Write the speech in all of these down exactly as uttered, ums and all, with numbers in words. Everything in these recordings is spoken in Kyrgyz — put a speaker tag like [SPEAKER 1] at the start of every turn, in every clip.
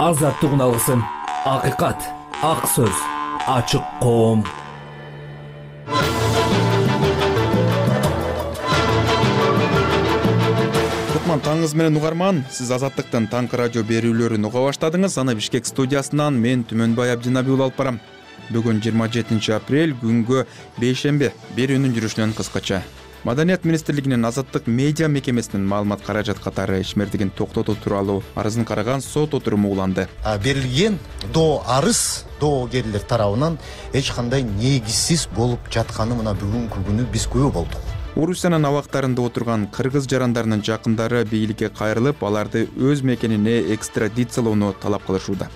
[SPEAKER 1] азаттык алсын. Акыйкат, ак сөз, ачык коом.
[SPEAKER 2] Таңыңыз менен угарман, сиз Азаттыктын таңкы радио берүүлөрүн уга баштадыңыз. Аны Бишкек студиясынан мен Түмөнбай Абдинабиул алып барам. Бүгүн жыйырма жетинчи апрель, күнгө бейшемби. Берүүнүн жүрүшүнөн кыскача. Маданият министрлигинин Азаттык медиа мекемесинин маалымат каражат катары ишмердигин токтотуу тууралуу арызын караган сот отуруму уланды.
[SPEAKER 3] Берилген доо арыз доогерлер тарабынан эч кандай негизсиз болуп жатканы мына бүгүнкү күнү биз күбө болдук.
[SPEAKER 2] Орусиянын абактарында отурган кыргыз жарандарынын жакындары бийликке кайрылып, аларды өз мекенине экстрадициялоону талап кылышууда.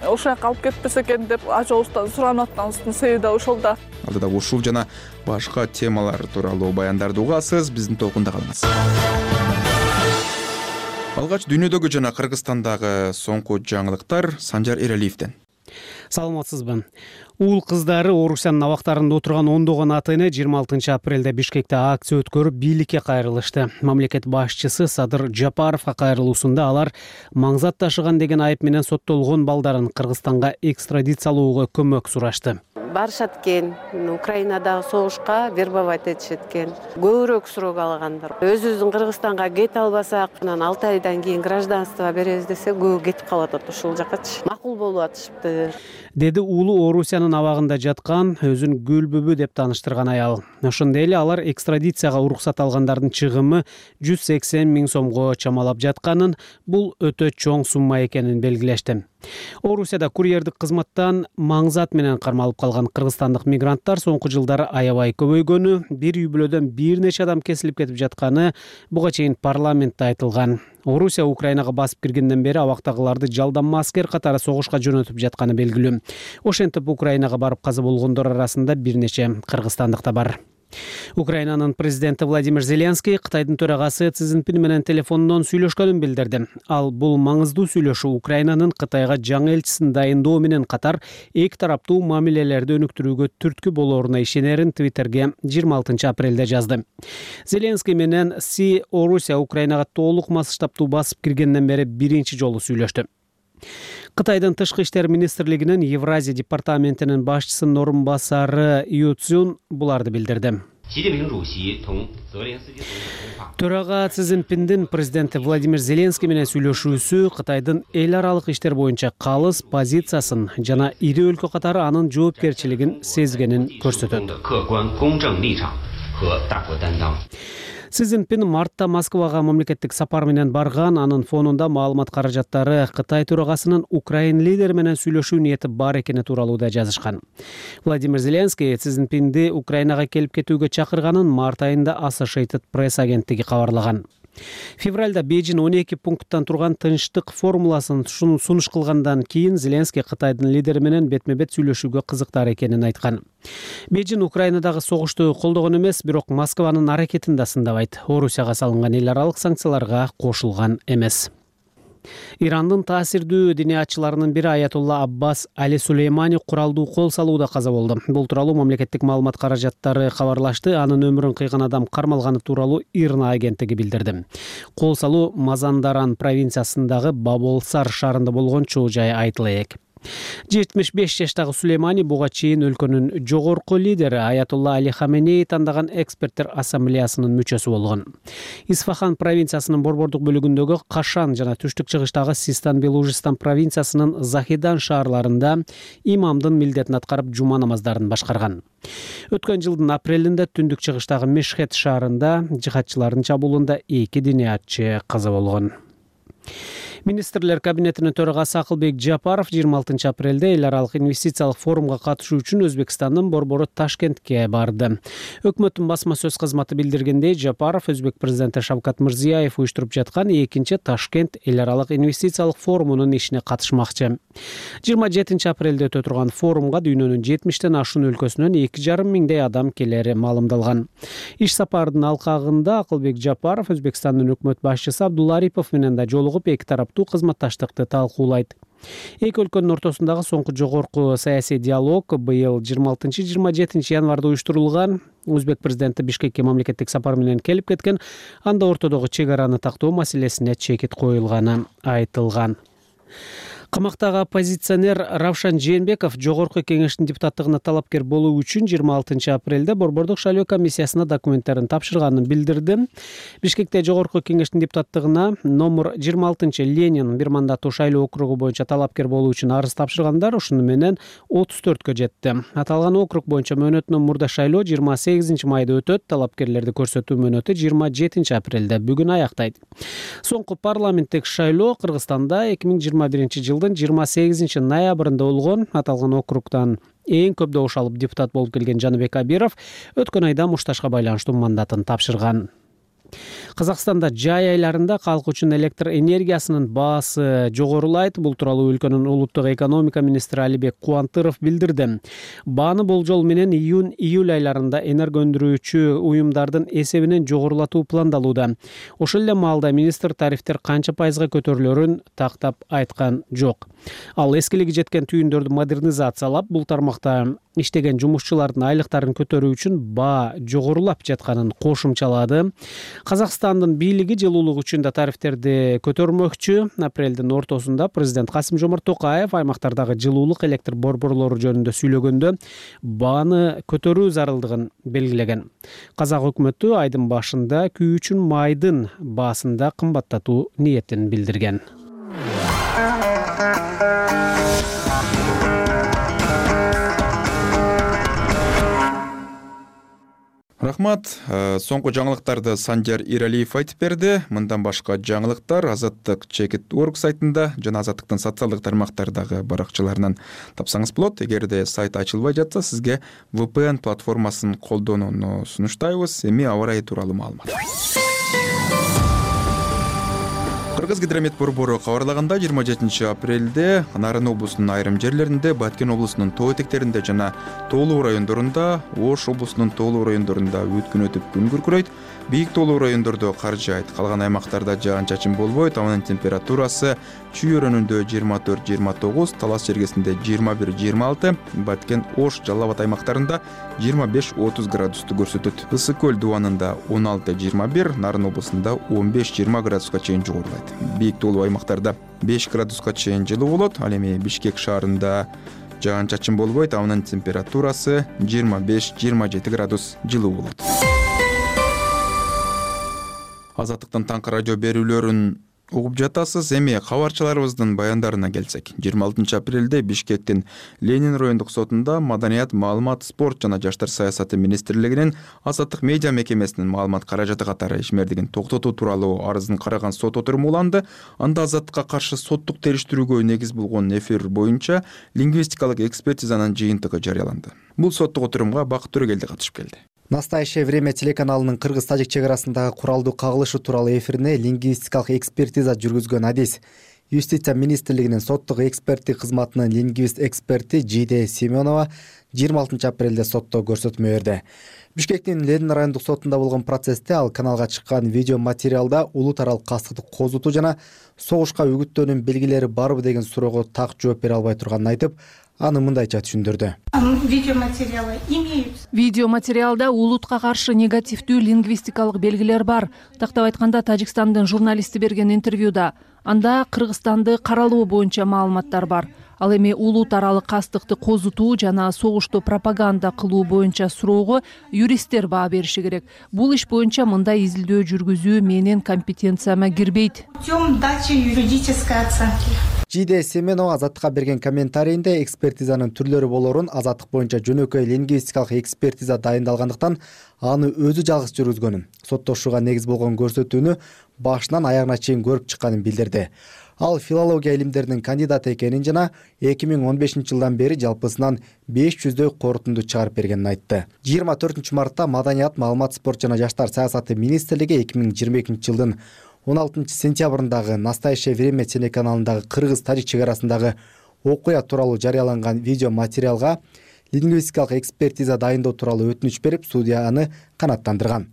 [SPEAKER 4] Ошол жака алып кетпесе экен деп ажообуздан суранып атканыбыздын себеби да ошол да.
[SPEAKER 2] Алдыда ушул жана башка темалар тууралуу баяндарды угасыз, биздин толкунда калыңыз. Алгач дүйнөдөгү жана Кыргызстандагы соңку жаңылыктар Санжар Эралиевден.
[SPEAKER 5] Саламатсызбы? Уул кыздары Орусиянын абактарында отурган ондогон ата-эне жыйырма алтынчы апрелде Бишкекте акция өткөрүп, бийликке кайрылышты. Мамлекет башчысы Садыр Жапаровго кайрылуусунда алар маңзат ташыган деген айып менен соттолгон балдарын Кыргызстанга экстрадициялоого көмөк сурашты.
[SPEAKER 6] Барышат экен, Украинадагы согушка вербовать этишет экен. Көбүрөөк срок алгандар. Өзүбүздүн Кыргызстанга кете албасак, анан алты айдан кийин гражданство беребиз десе, көбү кетип калып атат ушул жакачы. Макул болуп атышыпты.
[SPEAKER 5] Деди уулу Орусиянын абагында жаткан, өзүн Гүлбүбү деп тааныштырган аял. Ошондой эле алар экстрадицияга уруксат алгандардын чыгымы жүз сексен миң сомго чамалап жатканын, бул өтө чоң сумма экенин белгилешти. Орусияда курьердик кызматтан маңзат менен кармалып калган кыргызстандык мигранттар соңку жылдары аябай көбөйгөнү, бир үй бүлөдөн бир нече адам кесилип кетип жатканы буга чейин парламентте айтылган. Орусия Украинага басып киргенден бери абактагыларды жалданма аскер катары согушка жөнөтүп жатканы белгилүү. Ошентип Украинага барып каза болгондор арасында бир нече кыргызстандык да бар. Украинанын президенти Владимир Зеленский Кытайдын төрагасы Си Цзиньпин менен телефондон сүйлөшкөнүн билдирди. Ал бул маңыздуу сүйлөшүү Украинанын Кытайга жаңы элчисин дайындоо менен катар эки тараптуу мамилелерди өнүктүрүүгө түрткү болоруна ишенерин Твиттерге жыйырма алтынчы апрелде жазды. Зеленский менен Си Орусия Украинага толук масштабтуу басып киргенден бери биринчи жолу сүйлөштү. Кытайдын тышкы иштер министрлигинин Евразия департаментинин башчысынын орун басары Ю Цзюн буларды билдирди. Төрага Си Цзиньпиндин президенти Владимир Зеленский менен сүйлөшүүсү Кытайдын эл аралык иштер боюнча калыс позициясын жана ири өлкө катары анын жоопкерчилигин сезгенин көрсөтөт. Си Цзиньпин мартта Москвага мамлекеттик сапар менен барган, анын фонунда маалымат каражаттары Кытай төрагасынын Украин лидери менен сүйлөшүү ниети бар экени тууралуу да жазышкан. Владимир Зеленский Си Цзиньпинди Украинага келип кетүүгө чакырганын март айында Associated Press агенттиги кабарлаган. Февралда Бейжин он эки пункттан турган тынчтык формуласын сунуш кылгандан кийин Зеленский Кытайдын лидери менен бетме-бет сүйлөшүүгө кызыктар экенин айткан. Бейжин Украинадагы согушту колдогон эмес, бирок Москванын аракетин да сындабайт. Орусияга салынган эл аралык санкцияларга кошулган эмес. Ирандын таасирдүү диниятчыларынын бири Аятулла Аббас Али Сулеймани куралдуу кол салууда каза болду. Бул тууралуу мамлекеттик маалымат каражаттары кабарлашты. Анын өмүрүн кыйган адам кармалганы тууралуу Ирна агенттиги билдирди. Кол салуу Мазандаран провинциясындагы Баболсар шаарында болгон чоо жай айтыла элек. жетимиш беш жаштагы Сулеймани буга чейин өлкөнүн жогорку лидери Аятулла Али Хаменеи тандаган эксперттер ассамблеясынын мүчөсү болгон. Исфахан провинциясынын борбордук бөлүгүндөгү Кашан жана түштүк чыгыштагы Систан-Белужистан провинциясынын Захидан шаарларында имамдын милдетин аткарып жума намаздарын башкарган. Өткөн жылдын апрелинде түндүк чыгыштагы Мешхет шаарында жихадчылардын чабуулунда эки диниятчы каза болгон. Министрлер кабинетинин төрагасы Акылбек Жапаров жыйырма алтынчы апрелде эл аралык инвестициялык форумга катышуу үчүн Өзбекстандын борбору Ташкентке барды. Өкмөттүн басма сөз кызматы билдиргендей, Жапаров Өзбек президенти Шавкат Мирзиёев уюштуруп жаткан экинчи Ташкент эл аралык инвестициялык форумунун ишине катышмакчы. жыйырма жетинчи апрелде өтө турган форумга дүйнөнүн жетимиштен ашуун өлкөсүнөн эки жарым миңдей адам келери маалымдалган. Иш сапардын алкагында Акылбек Жапаров Өзбекстандын өкмөт башчысы Абдулла Арипов менен да жолугуп эки тараптуу кызматташтыкты талкуулайт. Эки өлкөнүн ортосундагы соңку жогорку саясий диалог быйыл жыйырма алтынчы жыйырма жетинчи январда уюштурулган. Өзбек президенти Бишкекке мамлекеттик сапар менен келип кеткен, анда ортодогу чек араны тактоо маселесине чекит коюлганы айтылган. Камактагы оппозиционер Равшан Жээнбеков жогорку кеңештин депутаттыгына талапкер болуу үчүн жыйырма алтынчы апрелде Борбордук шайлоо комиссиясына документтерин тапшырганын билдирди. Бишкекте жогорку кеңештин депутаттыгына номер жыйырма алтынчы Ленин бир мандаттуу шайлоо округу боюнча талапкер болуу үчүн арыз тапшыргандар ушуну менен отуз төрткө жетти. Аталган округ боюнча мөөнөтүнөн мурда шайлоо жыйырма сегизинчи майда өтөт. Талапкерлерди көрсөтүү мөөнөтү жыйырма жетинчи апрелде бүгүн аяктайт. Соңку парламенттик шайлоо Кыргызстанда эки миң жыйырма биринчи жылдын жыйырма сегизинчи ноябрында болгон. Аталган округдан эң көп добуш алып депутат болуп келген Жаныбек Абиров өткөн айда мушташка байланыштуу мандатын тапшырган. Казакстанда жай айларында калк үчүн электр энергиясынын баасы жогорулайт. Бул тууралуу өлкөнүн улуттук экономика министри Алибек Кубантыров билдирди. Бааны болжол менен июнь-июль айларында энерго өндүрүүчү уюмдардын эсебинен жогорулатуу пландалууда. Ошол эле маалда министр тарифтер канча пайызга көтөрүлөрүн тактап айткан жок. Ал эскилиги жеткен түйүндөрдү модернизациялап, бул тармакта иштеген жумушчулардын айлыктарын көтөрүү үчүн баа жогорулап жатканын кошумчалады. Казакстандын бийлиги жылуулук үчүн да тарифтерди көтөрмөкчү. Апрелдин ортосунда президент Касым Жомарт Токаев аймактардагы жылуулук электр борборлору жөнүндө сүйлөгөндө бааны көтөрүү зарылдыгын белгилеген. Казак өкмөтү айдын башында күйүүчүн майдын баасында кымбаттатуу ниетин билдирген.
[SPEAKER 2] Рахмат. Соңку жаңылыктарды Санжар Иралиев айтып берди. Мындан башка жаңылыктар Азаттык чекит точка орг сайтында жана Азаттыктын социалдык тармактардагы баракчаларынан тапсаңыз болот. Эгерде сайт ачылбай жатса, сизге ви пи эн платформасын колдонууну сунуштайбыз. Эми аба ырайы тууралуу маалымат. Кыргыз гидромет борбору кабарлаганда жыйырма жетинчи апрелде Нарын облусунун айрым жерлеринде, Баткен облусунун тоо этектеринде жана тоолуу райондорунда, Ош облусунун тоолуу райондорунда өткүн өтүп күн күркүрөйт. Бийик тоолуу райондордо кар жаайт. Калган аймактарда жаан-чачын болбойт. Абанын температурасы Чүй өрөөнүндө жыйырма төрт жыйырма тогуз, Талас жергесинде жыйырма бир жыйырма алты, Баткен, Ош, Жалал Абад аймактарында жыйырма беш отуз градусту көрсөтөт. Ысык көл дубанында он алты жыйырма бир, Нарын облусунда он беш жыйырма градуска чейин жогорулайт. Бийик тоолуу аймактарда беш градуска чейин жылуу болот. Ал эми Бишкек шаарында жаан-чачын болбойт. Абанын температурасы жыйырма беш жыйырма жети градус жылуу болот. Азаттыктын таңкы радио берүүлөрүн угуп жатасыз. Эми кабарчыларыбыздын баяндарына келсек. жыйырма алтынчы апрелде Бишкектин Ленин райондук сотунда Маданият, маалымат, спорт жана жаштар саясаты министрлигинин Азаттык медиа мекемесинин маалымат каражаты катары ишмердигин токтотуу тууралуу арызын караган сот отуруму уланды. Анда Азаттыкка каршы соттук териштирүүгө негиз болгон эфир боюнча лингвистикалык экспертизанын жыйынтыгы жарыяланды. Бул соттук отурумга Бакыт Төрөгелди катышып келди.
[SPEAKER 7] Настоящее время телеканалынын кыргыз-тажик чек арасындагы куралдуу кагылышы тууралуу эфирине лингвистикалык экспертиза жүргүзгөн адис. Юстиция министрлигинин соттук эксперттик кызматынын лингвист эксперти Жиде Семенова жыйырма алтынчы апрелде сотто көрсөтмө берди. Бишкектин Ленин райондук сотунда болгон процессте ал каналга чыккан видео материалда улут аралык кастыкты козутуу жана согушка үгүттөөнүн белгилери барбы деген суроого так жооп бере албай турганын айтып, аны мындайча түшүндүрдү.
[SPEAKER 8] Видеоматериалы имеются. Видеоматериалда улутка каршы негативдүү лингвистикалык белгилер бар. Тактап айтканда, Тажикстандын журналисти берген интервьюда анда Кыргызстанды каралоо боюнча маалыматтар бар. Ал эми улут аралык кастыкты козутуу жана согушту пропаганда кылуу боюнча суроого юристтер баа бериши керек. Бул иш боюнча мындай изилдөө жүргүзүү менин компетенцияма кирбейт. Путем дачи юридической оценки.
[SPEAKER 7] Жиде Семенова Азаттыкка берген комментарийинде экспертизанын түрлөрү болорун, Азаттык боюнча жөнөкөй лингвистикалык экспертиза дайындалгандыктан аны өзү жалгыз жүргүзгөнүн, соттошууга негиз болгон көрсөтүүнү башынан аягына чейин көрүп чыкканын билдирди. Ал филология илимдеринин кандидаты экенин жана эки миң он бешинчи жылдан бери жалпысынан беш жүздөй корутунду чыгарып бергенин айтты. жыйырма төртүнчү мартта Маданият, маалымат, спорт жана жаштар саясаты министрлиги эки миң жыйырма экинчи жылдын он алтынчы сентябрындагы Настоящее время телеканалындагы кыргыз-тажик чек арасындагы окуя тууралуу жарыяланган видео материалга лингвистикалык экспертиза дайындоо тууралуу өтүнүч берип, судья аны канааттандырган.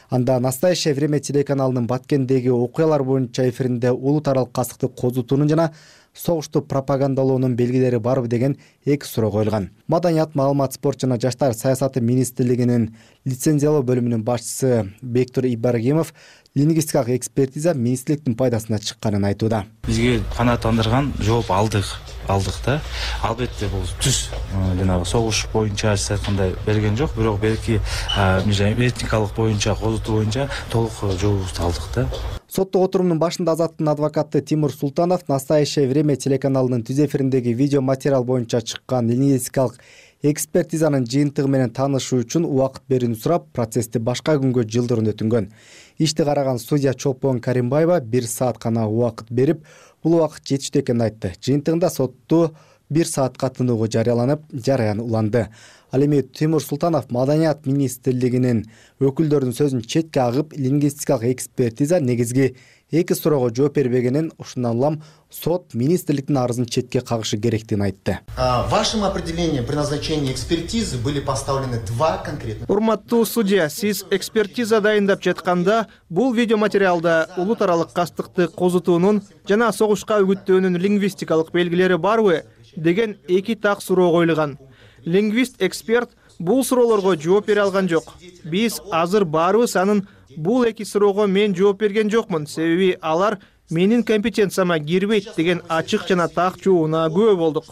[SPEAKER 7] Анда Настоящее время телеканалынын Баткендеги окуялар боюнча эфиринде улут аралык кастыкты козутуунун жана согушту пропагандалоонун белгилери барбы деген эки суроо коюлган. Маданият, маалымат, спорт жана жаштар саясаты министрлигинин лицензиялоо бөлүмүнүн башчысы Бектур Ибрагимов лингвистикалык экспертиза министрликтин пайдасына чыкканын айтууда.
[SPEAKER 9] Бизге канааттандырган жооп алдык алдык да. Албетте бул түз жанагы согуш боюнча сиз айткандай берген жок, бирок белки этникалык боюнча, козутуу боюнча толук жообубузду алдык да.
[SPEAKER 7] Соттук отурумдун башында Азаттын адвокаты Тимур Султанов «Настоящее время» телеканалынын түз эфириндеги видео материал боюнча чыккан лингвистикалык экспертизанын жыйынтыгы менен таанышуу үчүн убакыт берүүнү сурап, процессти башка күнгө жылдырууну өтүнгөн. Ишти караган судья Чолпон Каримбаева бир саат гана убакыт берип, бул убакыт жетиштүү экенин айтты. Жыйынтыгында сотту бир саатка тынуучу жарыяланып, жараян уланды. Ал эми Тимур Султанов Маданият министрлигинин өкүлдөрүнүн сөзүн четке агып, лингвистикалык экспертиза негизги эки суроого жооп бербегенин, ушундан улам сот министрликтин арызын четке кагышы керектигин айтты.
[SPEAKER 3] В вашем определении при назначении экспертизы были поставлены два конкретных.
[SPEAKER 10] Урматтуу судья, сиз экспертиза дайындап жатканда бул видеоматериалда улут аралык кастыкты козутуунун жана согушка үгүттөөнүн лингвистикалык белгилери барбы деген эки так суроо коюлган. Лингвист-эксперт бул суроолорго жооп бере алган жок. Биз азыр баарыбыз анын бул эки суроого мен жооп берген жокмун, себеби алар менин компетенцияма кирбейт деген ачык жана так жообуна күбө болдук.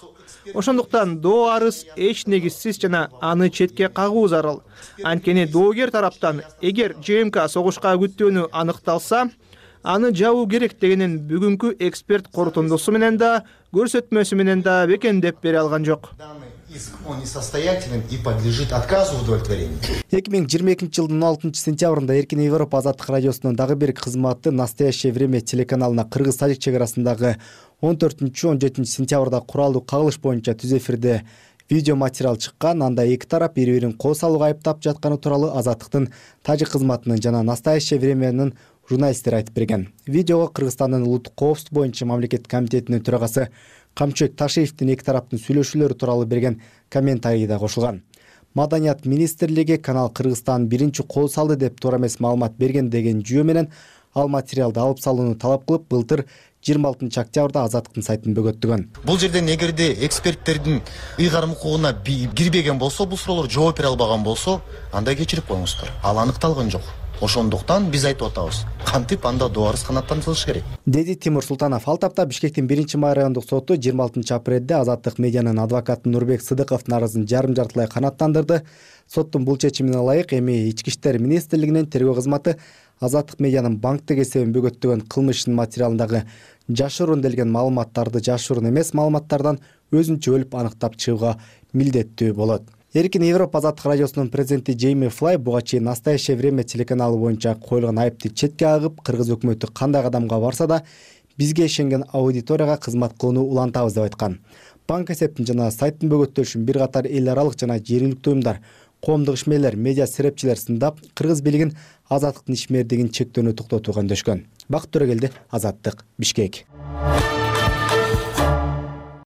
[SPEAKER 10] Ошондуктан доо арыз эч негизсиз жана аны четке кагуу зарыл. Анткени доогер тараптан эгер ЖМК согушка үгүттөөнү аныкталса, аны жабуу керек дегенин бүгүнкү эксперт корутундусу менен да, көрсөтмөсү менен да бекемдеп бере алган жок.
[SPEAKER 3] Он несостоятелен и подлежит отказу в удовлетворении.
[SPEAKER 7] эки миң жыйырма экинчи жылдын он алтынчы сентябрында Эркин Европа азаттык радиосунун дагы бир кызматы «Настоящее время» телеканалына кыргыз-тажик чек арасындагы он төртүнчү он жетинчи сентябрда куралдуу кагылыш боюнча түз эфирде видео материал чыккан. Анда эки тарап бири-бирин кол салууга айыптап жатканы тууралуу азаттыктын тажик кызматынын жана «Настоящее времянын» журналисттери айтып берген. Видеого Кыргызстандын улуттук коопсуздук боюнча мамлекеттик комитетинин төрагасы Камчыбек Ташиевдин эки тараптын сүйлөшүүлөрү тууралуу берген комментарий да кошулган. Маданият министрлиги канал Кыргызстан биринчи кол салды деп туура эмес маалымат берген деген жүйө менен ал материалды алып салууну талап кылып, былтыр жыйырма алтынчы октябрда азаттыктын сайтын бөгөттүгөн.
[SPEAKER 3] Бул жерден эгерде эксперттердин ыйгарым укугуна кирбеген болсо, бул суроолор жооп бере албаган болсо, анда кечирип коюңуздар. Ал аныкталган жок. Ошондуктан биз айтып атабыз, кантип анда доо арыз канааттандырылышы керек,
[SPEAKER 7] деди Тимур Султанов. Ал тапта Бишкектин биринчи май райондук соту жыйырма алтынчы апрелде Азаттык медианын адвокаты Нурбек Сыдыковдун арызын жарым жартылай канааттандырды. Соттун бул чечимине ылайык эми Ички иштер министрлигинин тергөө кызматы Азаттык медианын банктык эсебин бөгөттөгөн кылмыш ишинин материалындагы жашыруун делген маалыматтарды жашыруун эмес маалыматтардан өзүнчө бөлүп аныктап чыгууга милдеттүү болот. Эркин Европа азаттык радиосунун президенти Джейми Флай буга чейин «Настоящее время» телеканалы боюнча коюлган айыпты четке агып, кыргыз өкмөтү кандай кадамга барса да бизге ишенген аудиторияга кызмат кылууну улантабыз деп айткан. Банк эсептин жана сайттын бөгөттөлүшүн бир катар эл аралык жана жергиликтүү уюмдар, коомдук ишмерлер, медиа серепчилер сындап, кыргыз бийлигин азаттыктын ишмердигин чектөөнү токтотууга өндөшкөн. Бакыт Төрөгелди, Азаттык, Бишкек.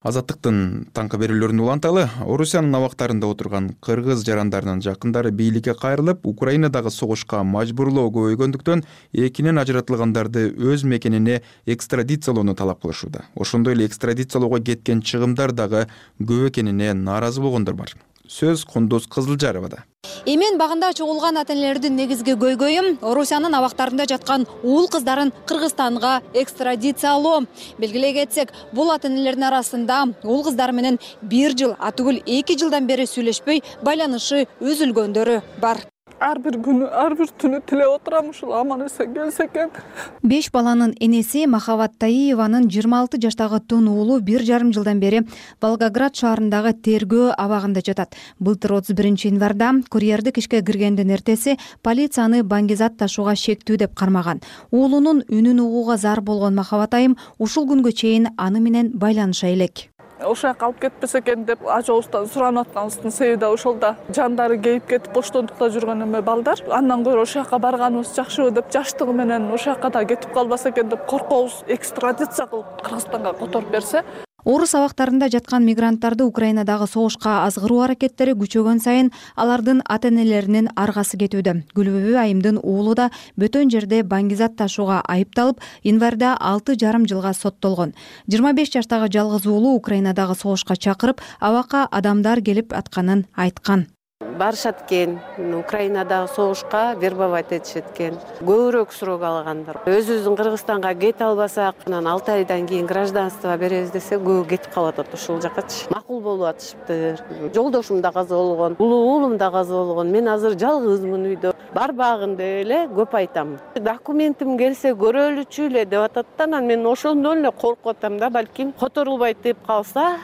[SPEAKER 2] Азаттыктын таңкы берүүлөрүн уланталы. Орусиянын абактарында отурган кыргыз жарандарынын жакындары бийликке кайрылып, Украинадагы согушка мажбурлоо көбөйгөндүктөн экинен ажыратылгандарды өз мекенине экстрадициялоону талап кылышууда. Ошондой эле экстрадициялоого кеткен чыгымдар дагы көп экенине нааразы болгондор бар. Сөз Кундуз Кызылжаровада.
[SPEAKER 11] Эмен багында чогулган ата энелердин негизги көйгөйү Орусиянын абактарында жаткан уул кыздарын Кыргызстанга экстрадициялоо. Белгилей кетсек, бул ата энелердин арасында уул кыздары менен бир жыл, а түгүл эки жылдан бери сүйлөшпөй байланышы үзүлгөндөрү бар.
[SPEAKER 4] Ар бир күнү, ар бир түнү тилеп отурам ушул аман эсен келсе экен.
[SPEAKER 11] Беш баланын энеси Махабат Таиеванын жыйырма алты жаштагы тун уулу бир жарым жылдан бери Волгоград шаарындагы тергөө абагында жатат. Былтыр отуз биринчи январда курьердик ишке киргендин эртеси полицияны баңгизат ташууга шектүү деп кармаган. Уулунун үнүн угууга зар болгон Махабат айым ушул күнгө чейин аны менен байланыша элек.
[SPEAKER 4] Ошо жака алып кетпесе экен деп ажообуздан суранып атканыбыздын себеби да ошол да. Жандары кейип кетип боштондукта жүргөн эме балдар. Андан көрө ошо жака барганыбыз жакшыбы деп, жаштыгы менен ошо жака да кетип калбаса экен деп коркобуз. Экстрадиция кылып Кыргызстанга которуп берсе.
[SPEAKER 11] Орус абактарында жаткан мигранттарды Украинадагы согушка азгыруу аракеттери күчөгөн сайын алардын ата энелеринин аргасы кетүүдө. Гүлбүбү айымдын уулу да бөтөн жерде баңгизат ташууга айыпталып, январда алты жарым жылга соттолгон. жыйырма беш жаштагы жалгыз уулу Украинадагы согушка чакырып, абакка адамдар келип атканын айткан.
[SPEAKER 6] барышат экен, Украинадагы согушка вербовать этишет экен. Көбүрөөк срок алгандар. Өзүбүздүн Кыргызстанга кете албасак, анан алты айдан кийин гражданство беребиз десе, көбү кетип калып атат ушул жакачы. Макул болуп атышыптыр. Жолдошум да каза болгон, улуу уулум да каза болгон. Мен азыр жалгызмын үйдө. Барбагын деп эле көп айтам. Документим келсе көрөлүчү эле деп атат да, анан мен ошондон эле коркуп атам да, балким которулбайт деп калса,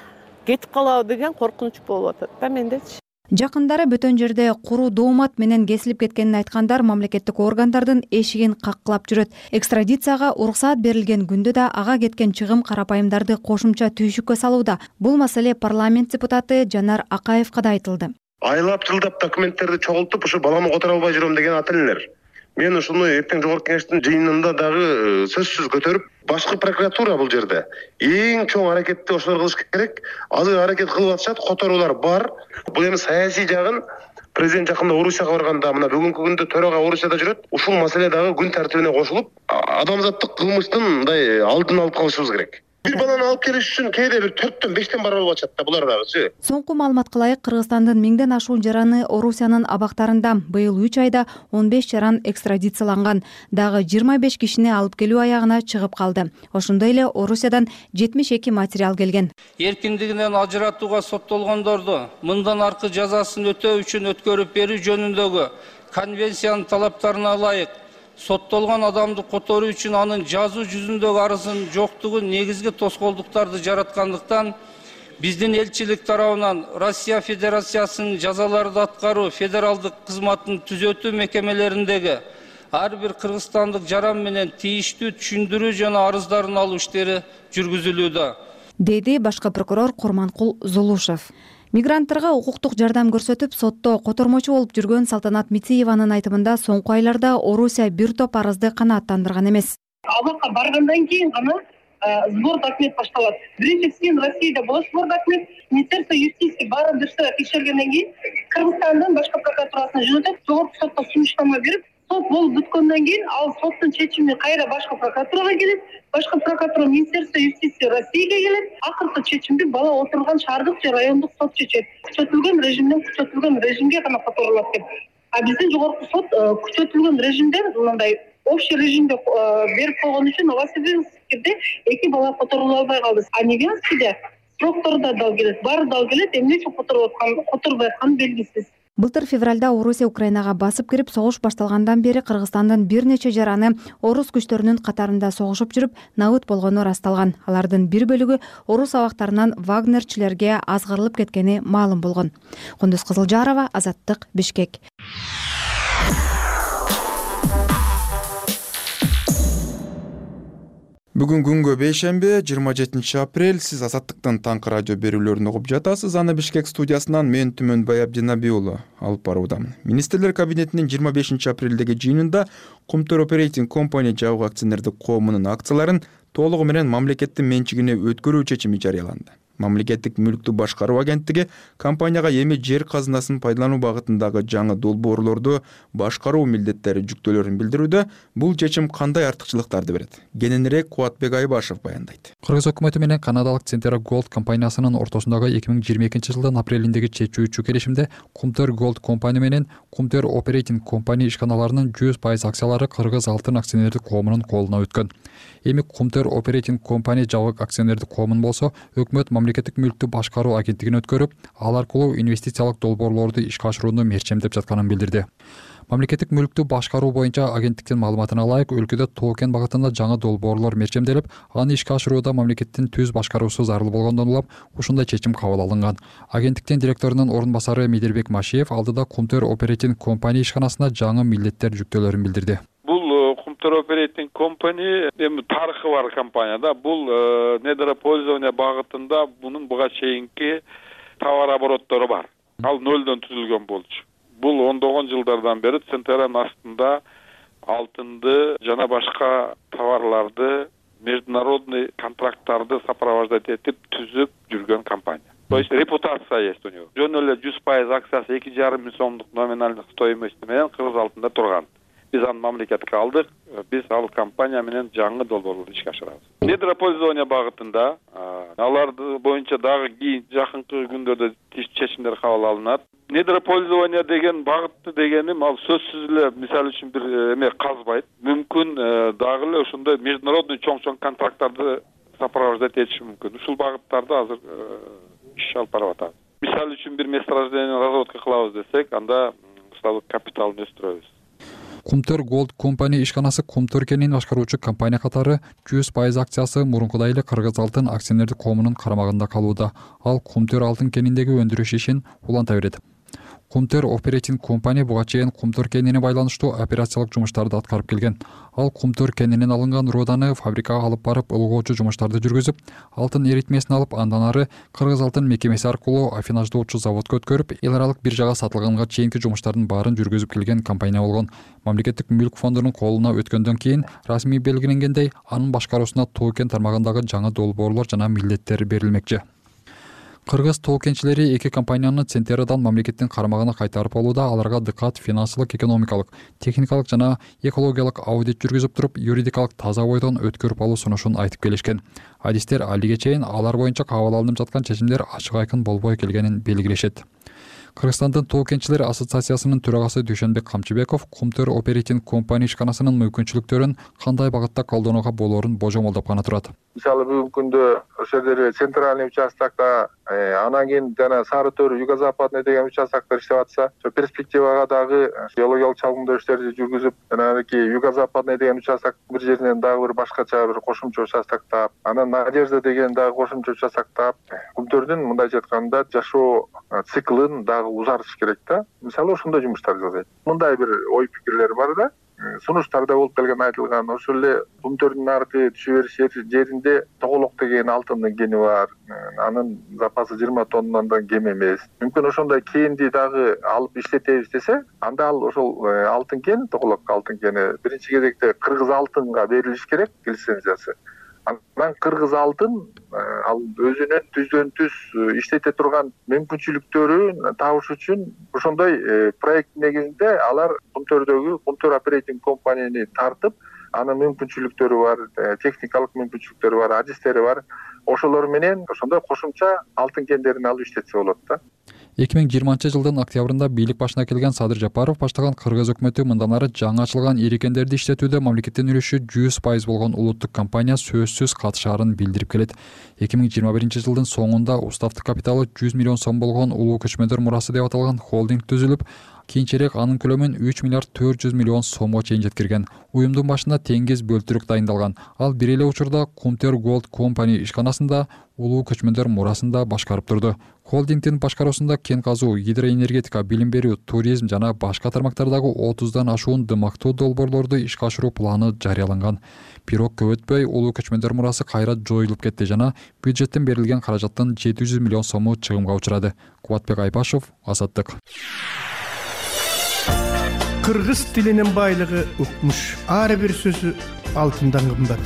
[SPEAKER 6] кетип калабы деген коркунуч болуп атат да мендечи.
[SPEAKER 11] Жакындары бөтөн жерде куру доомат менен кесилип кеткенин айткандар мамлекеттик органдардын эшигин каккылап жүрөт. Экстрадицияга уруксаат берилген күндө да ага кеткен чыгым карапайымдарды кошумча түйшүккө салууда. Бул маселе парламент депутаты Жанар Акаевка да айтылды.
[SPEAKER 12] Айлап жылдап документтерди чогултуп, ушу баламы которо албай жүрөм деген ат элелер. Мен ушуну эртең жогорку кеңештин жыйынында дагы сөзсүз көтөрүп, башкы прокуратура бул жерде эң чоң аракетти ошолор кылыш керек. Азыр аракет кылып атышат, которуулар бар. Бул эми саясий жагын президент жакында Орусияга барганда, мына бүгүнкү күндө төрага Орусияда жүрөт. Ушул маселе дагы күн тартибине кошулуп, адамзаттык кылмыштын мындай алдын алып калышыбыз керек. Бир баланы алып келиш үчүн кээде бир төрттөн бештен барып алып атышат да булар дагычы.
[SPEAKER 11] Соңку маалыматка ылайык Кыргызстандын миңден ашуун жараны Орусиянын абактарында быйыл үч айда он беш жаран экстрадицияланган. Дагы жыйырма беш кишини алып келүү аягына чыгып калды. Ошондой эле Орусиядан жетимиш эки материал келген.
[SPEAKER 13] Эркиндигинен ажыратууга соттолгондорду мындан аркы жазасын өтөө үчүн өткөрүп берүү жөнүндөгү конвенциянын талаптарына ылайык соттолгон адамды которуу үчүн анын жазуу жүзүндөгү арызын жоктугу негизги тоскоолдуктарды жараткандыктан биздин элчилик тарабынан Россия Федерациясынын жазаларды аткаруу федералдык кызматтын түзөтүү мекемелериндеги ар бир кыргызстандык жаран менен тийиштүү түшүндүрүү жана арыздарын алуу иштери жүргүзүлүүдө,
[SPEAKER 11] деди башкы прокурор Курманкул Зулушев. Мигранттарга укуктук жардам көрсөтүп, сотто котормочу болуп жүргөн Салтанат Митиеванын айтымында соңку айларда Орусия бир топ арызды канааттандырган эмес.
[SPEAKER 14] Абакка баргандан кийин гана сбор документ башталат. Биринчисин Россияда болот сбор документ, Министерство юстиции баарын дырса текшергенден кийин Кыргызстандын башкы прокуратурасына жөнөтөт, жогорку сотко сунуштама берип, сот болуп бүткөндөн кийин ал соттун чечими кайра башкы прокуратурага келет, башкы прокуратура Министерство юстиции Россияга келет, акыркы чечимди бала отурган шаардык же райондук сот чечет. Күчөтүлгөн режимден күчөтүлгөн режимге гана которулат деп. А биздин жогорку сот күчөтүлгөн режимде мындай общий режимде берип койгон үчүн Новосибирскиде эки бала которулуп албай калды. А Невянскийде сроктор да дал келет, баары дал келет, эмне үчүн которулуп аткан, которбой атканы белгисиз.
[SPEAKER 11] Былтыр февралда Орусия Украинага басып кирип, согуш башталгандан бери Кыргызстандын бир нече жараны орус күчтөрүнүн катарында согушуп жүрүп, набыт болгону ырасталган. Алардын бир бөлүгү орус абактарынан вагнерчилерге азгырылып кеткени маалым болгон. Кундуз Кызылжарова, Азаттык, Бишкек.
[SPEAKER 2] Бүгүн күнгө бейшемби, жыйырма жетинчи апрель. Сиз Азаттыктын таңкы радио берүүлөрүн угуп жатасыз. Аны Бишкек студиясынан мен Түмөнбай Абдинабий уулу алып баруудамын. Министрлер кабинетинин жыйырма бешинчи апрелдеги жыйынында Кумтөр Operating Company жабык акционердик коомунун акцияларын толугу менен мамлекеттин менчигине өткөрүү чечими жарыяланды. Мамлекеттик мүлктү башкаруу агенттиги компанияга эми жер казынасын пайдалануу багытындагы жаңы долбоорлорду башкаруу милдеттери жүктөөлөрүн билдирүүдө. Бул чечим кандай артыкчылыктарды берет? Кененирээк Кубатбек Айбашев баяндайт.
[SPEAKER 15] Кыргыз өкмөтү менен канадалык Centera Gold компаниясынын ортосундагы эки миң жыйырма экинчи жылдын апрелиндеги чечүүчү келишимде Кумтөр Gold Company менен Кумтөр Operating Company ишканаларынын жүз пайыз акциялары Кыргыз алтын акционердик коомунун колуна өткөн. Эми Кумтөр Operating Company жабык акционердик коомун болсо, өкмөт мамлекеттик мүлктү башкаруу агенттигин өткөрүп, ал аркылуу инвестициялык долбоорлорду ишке ашырууну мерчемдеп жатканын билдирди. Мамлекеттик мүлктү башкаруу боюнча агенттиктин маалыматына ылайык, өлкөдө Тоокен багытында жаңы долбоорлор мерчемделип, аны ишке ашырууда мамлекеттин түз башкаруусу зарыл болгондон улам ушундай чечим кабыл алынган. Агенттиктин директорунун орун басары Медербек Машиев алдыда Кумтөр Operating Company ишканасына жаңы милдеттер жүктөөлөрүн билдирди.
[SPEAKER 16] Бул Кумтөр Operating Company эми тарыхы бар компанияда. Бул недропользование багытында бунун буга чейинки товар обороттору бар. Ал нөлдөн түзүлгөн болчу. Бул ондогон жылдардан бери Центеранын астында алтынды жана башка товарларды, международный контракттарды сопровождать этип түзүп жүргөн компания. То есть репутация есть у него. Жөн эле жүз пайыз акциясы эки жарым миң сомдук номиналдык стоимости менен Кыргыз алтында турган. Биз аны мамлекетке алдык. Биз ал компания менен жаңы долбоорлорду ишке ашырабыз. Недропользование багытында аларды боюнча дагы кийин жакынкы күндөрдө чечимдер кабыл алынат. недропользование деген багытты дегеним ал сөзсүз эле мисалы үчүн бир эме казбайт. Мүмкүн дагы эле ошондой международный чоң-чоң контракттарды сопровождать этиши мүмкүн. Ушул багыттарда азыр иш алып барып атабыз. Мисалы үчүн бир месторождение разработка кылабыз десек, анда усталык капиталын өстүрөбүз.
[SPEAKER 15] Кумтөр Gold компания ишканасы Кумтөр кенин башкаруучу компания катары жүз пайыз акциясы мурункудай эле Кыргыз алтын акционердик коомунун карамагында калууда. Ал Кумтөр алтын кениндеги өндүрүш ишин уланта берет. Кумтөр Operating компания буга чейин Кумтөр кенине байланыштуу операциялык жумуштарды аткарып келген. Ал Кумтөр кенинен алынган руданы фабрикага алып барып ылгоочу жумуштарды жүргүзүп, алтын эритмесин алып, андан ары Кыргыз алтын мекемеси аркылуу аффинаждоочу заводко өткөрүп, эл аралык биржага сатылганга чейинки жумуштардын баарын жүргүзүп келген компания болгон. Мамлекеттик мүлк фондунун колуна өткөндөн кийин расмий белгиленгендей, анын башкаруусуна тоо кен тармагындагы жаңы долбоорлор жана милдеттер берилмекчи. Кыргыз тоо кенчилери эки компанияны Центерадан мамлекеттин карамагына кайтарып алууда аларга дыкат финансылык, экономикалык, техникалык жана экологиялык аудит жүргүзүп туруп, юридикалык таза бойдон өткөрүп алуу сунушун айтып келишкен. Адистер алиге чейин алар боюнча кабыл алынып жаткан чечимдер ачык айкын болбой келгенин белгилешет. Кыргызстандын тоо кенчилери ассоциациясынын төрагасы Дүйшөнбек Камчыбеков Кумтөр Operating компания ишканасынын мүмкүнчүлүктөрүн кандай багытта колдонууга болоорун божомолдоп гана турат.
[SPEAKER 17] Мисалы бүгүнкү күндө ошол жерде центральный участокто, анан кийин жана Сары Төр, Юго-Западный деген участоктор иштеп атса, перспективага дагы геологиялык чалгындоо иштерди жүргүзүп, ананки Юго-Западный деген участок бир жеринен дагы бир башкача бир кошумча участок таап, анан Надежда деген дагы кошумча участок таап, Кумтөрдүн мындайча айтканда жашоо циклын дагы узартыш керек да. Мисалы ошондой жумуштар жасайт. Мындай бир ой пикирлер бар да. Сунуштарда болуп келген айтылган, ошол эле Кумтөрдүн аркы түшө бериш жеринде Тоголок деген алтындын кени бар. Анын запасы жыйырма тоннадан кем эмес. Мүмкүн ошондой кенди дагы алып иштетебиз десе, анда ал ошол алтын кен, Тоголок алтын кени биринчи кезекте Кыргыз алтынга берилиш керек лицензиясы. Анан Кыргыз алтын ал өзүнүн түздөн түз иштете турган мүмкүнчүлүктөрүн табыш үчүн ошондой проект негизинде алар Кумтөрдөгү Кумтөр Operating компанияны тартып, анын мүмкүнчүлүктөрү бар, техникалык мүмкүнчүлүктөрү бар, адистери бар. Ошолор менен ошондой кошумча алтын кендерин алып иштетсе болот да.
[SPEAKER 15] эки миң жыйырманчы жылдын октябрында бийлик башына келген Садыр Жапаров баштаган Кыргыз өкмөтү мындан ары жаңы ачылган ири кендерди иштетүүдө мамлекеттин үлүшү жүз пайыз болгон улуттук компания сөзсүз катышаарын билдирип келет. эки миң жыйырма биринчи жылдын соңунда уставтык капиталы жүз миллион сом болгон Улуу Көчмөндөр мурасы деп аталган холдинг түзүлүп, кийинчерээк анын көлөмүн үч миллиард төрт жүз миллион сомго чейин жеткирген. Уюмдун башында теңиз бөлтүрүк дайындалган. Ал бир эле учурда Кумтөр Gold компания ишканасында Улуу Көчмөндөр мурасында башкарып турду. Холдингдин башкаруусунда кен казуу, гидроэнергетика, билим берүү, туризм жана башка тармактардагы отуздан ашуун дымактуу долбоорлорду ишке ашыруу планы жарыяланган. Бирок көп өтпөй Улуу Көчмөндөр мурасы кайра жоюлуп кетти жана бюджеттен берилген каражаттын жети жүз миллион сому чыгымга учурады. Кубатбек Айбашев, Азаттык.
[SPEAKER 18] Кыргыз тилинин байлыгы укмуш. Ар бир сөзү алтындан кымбат.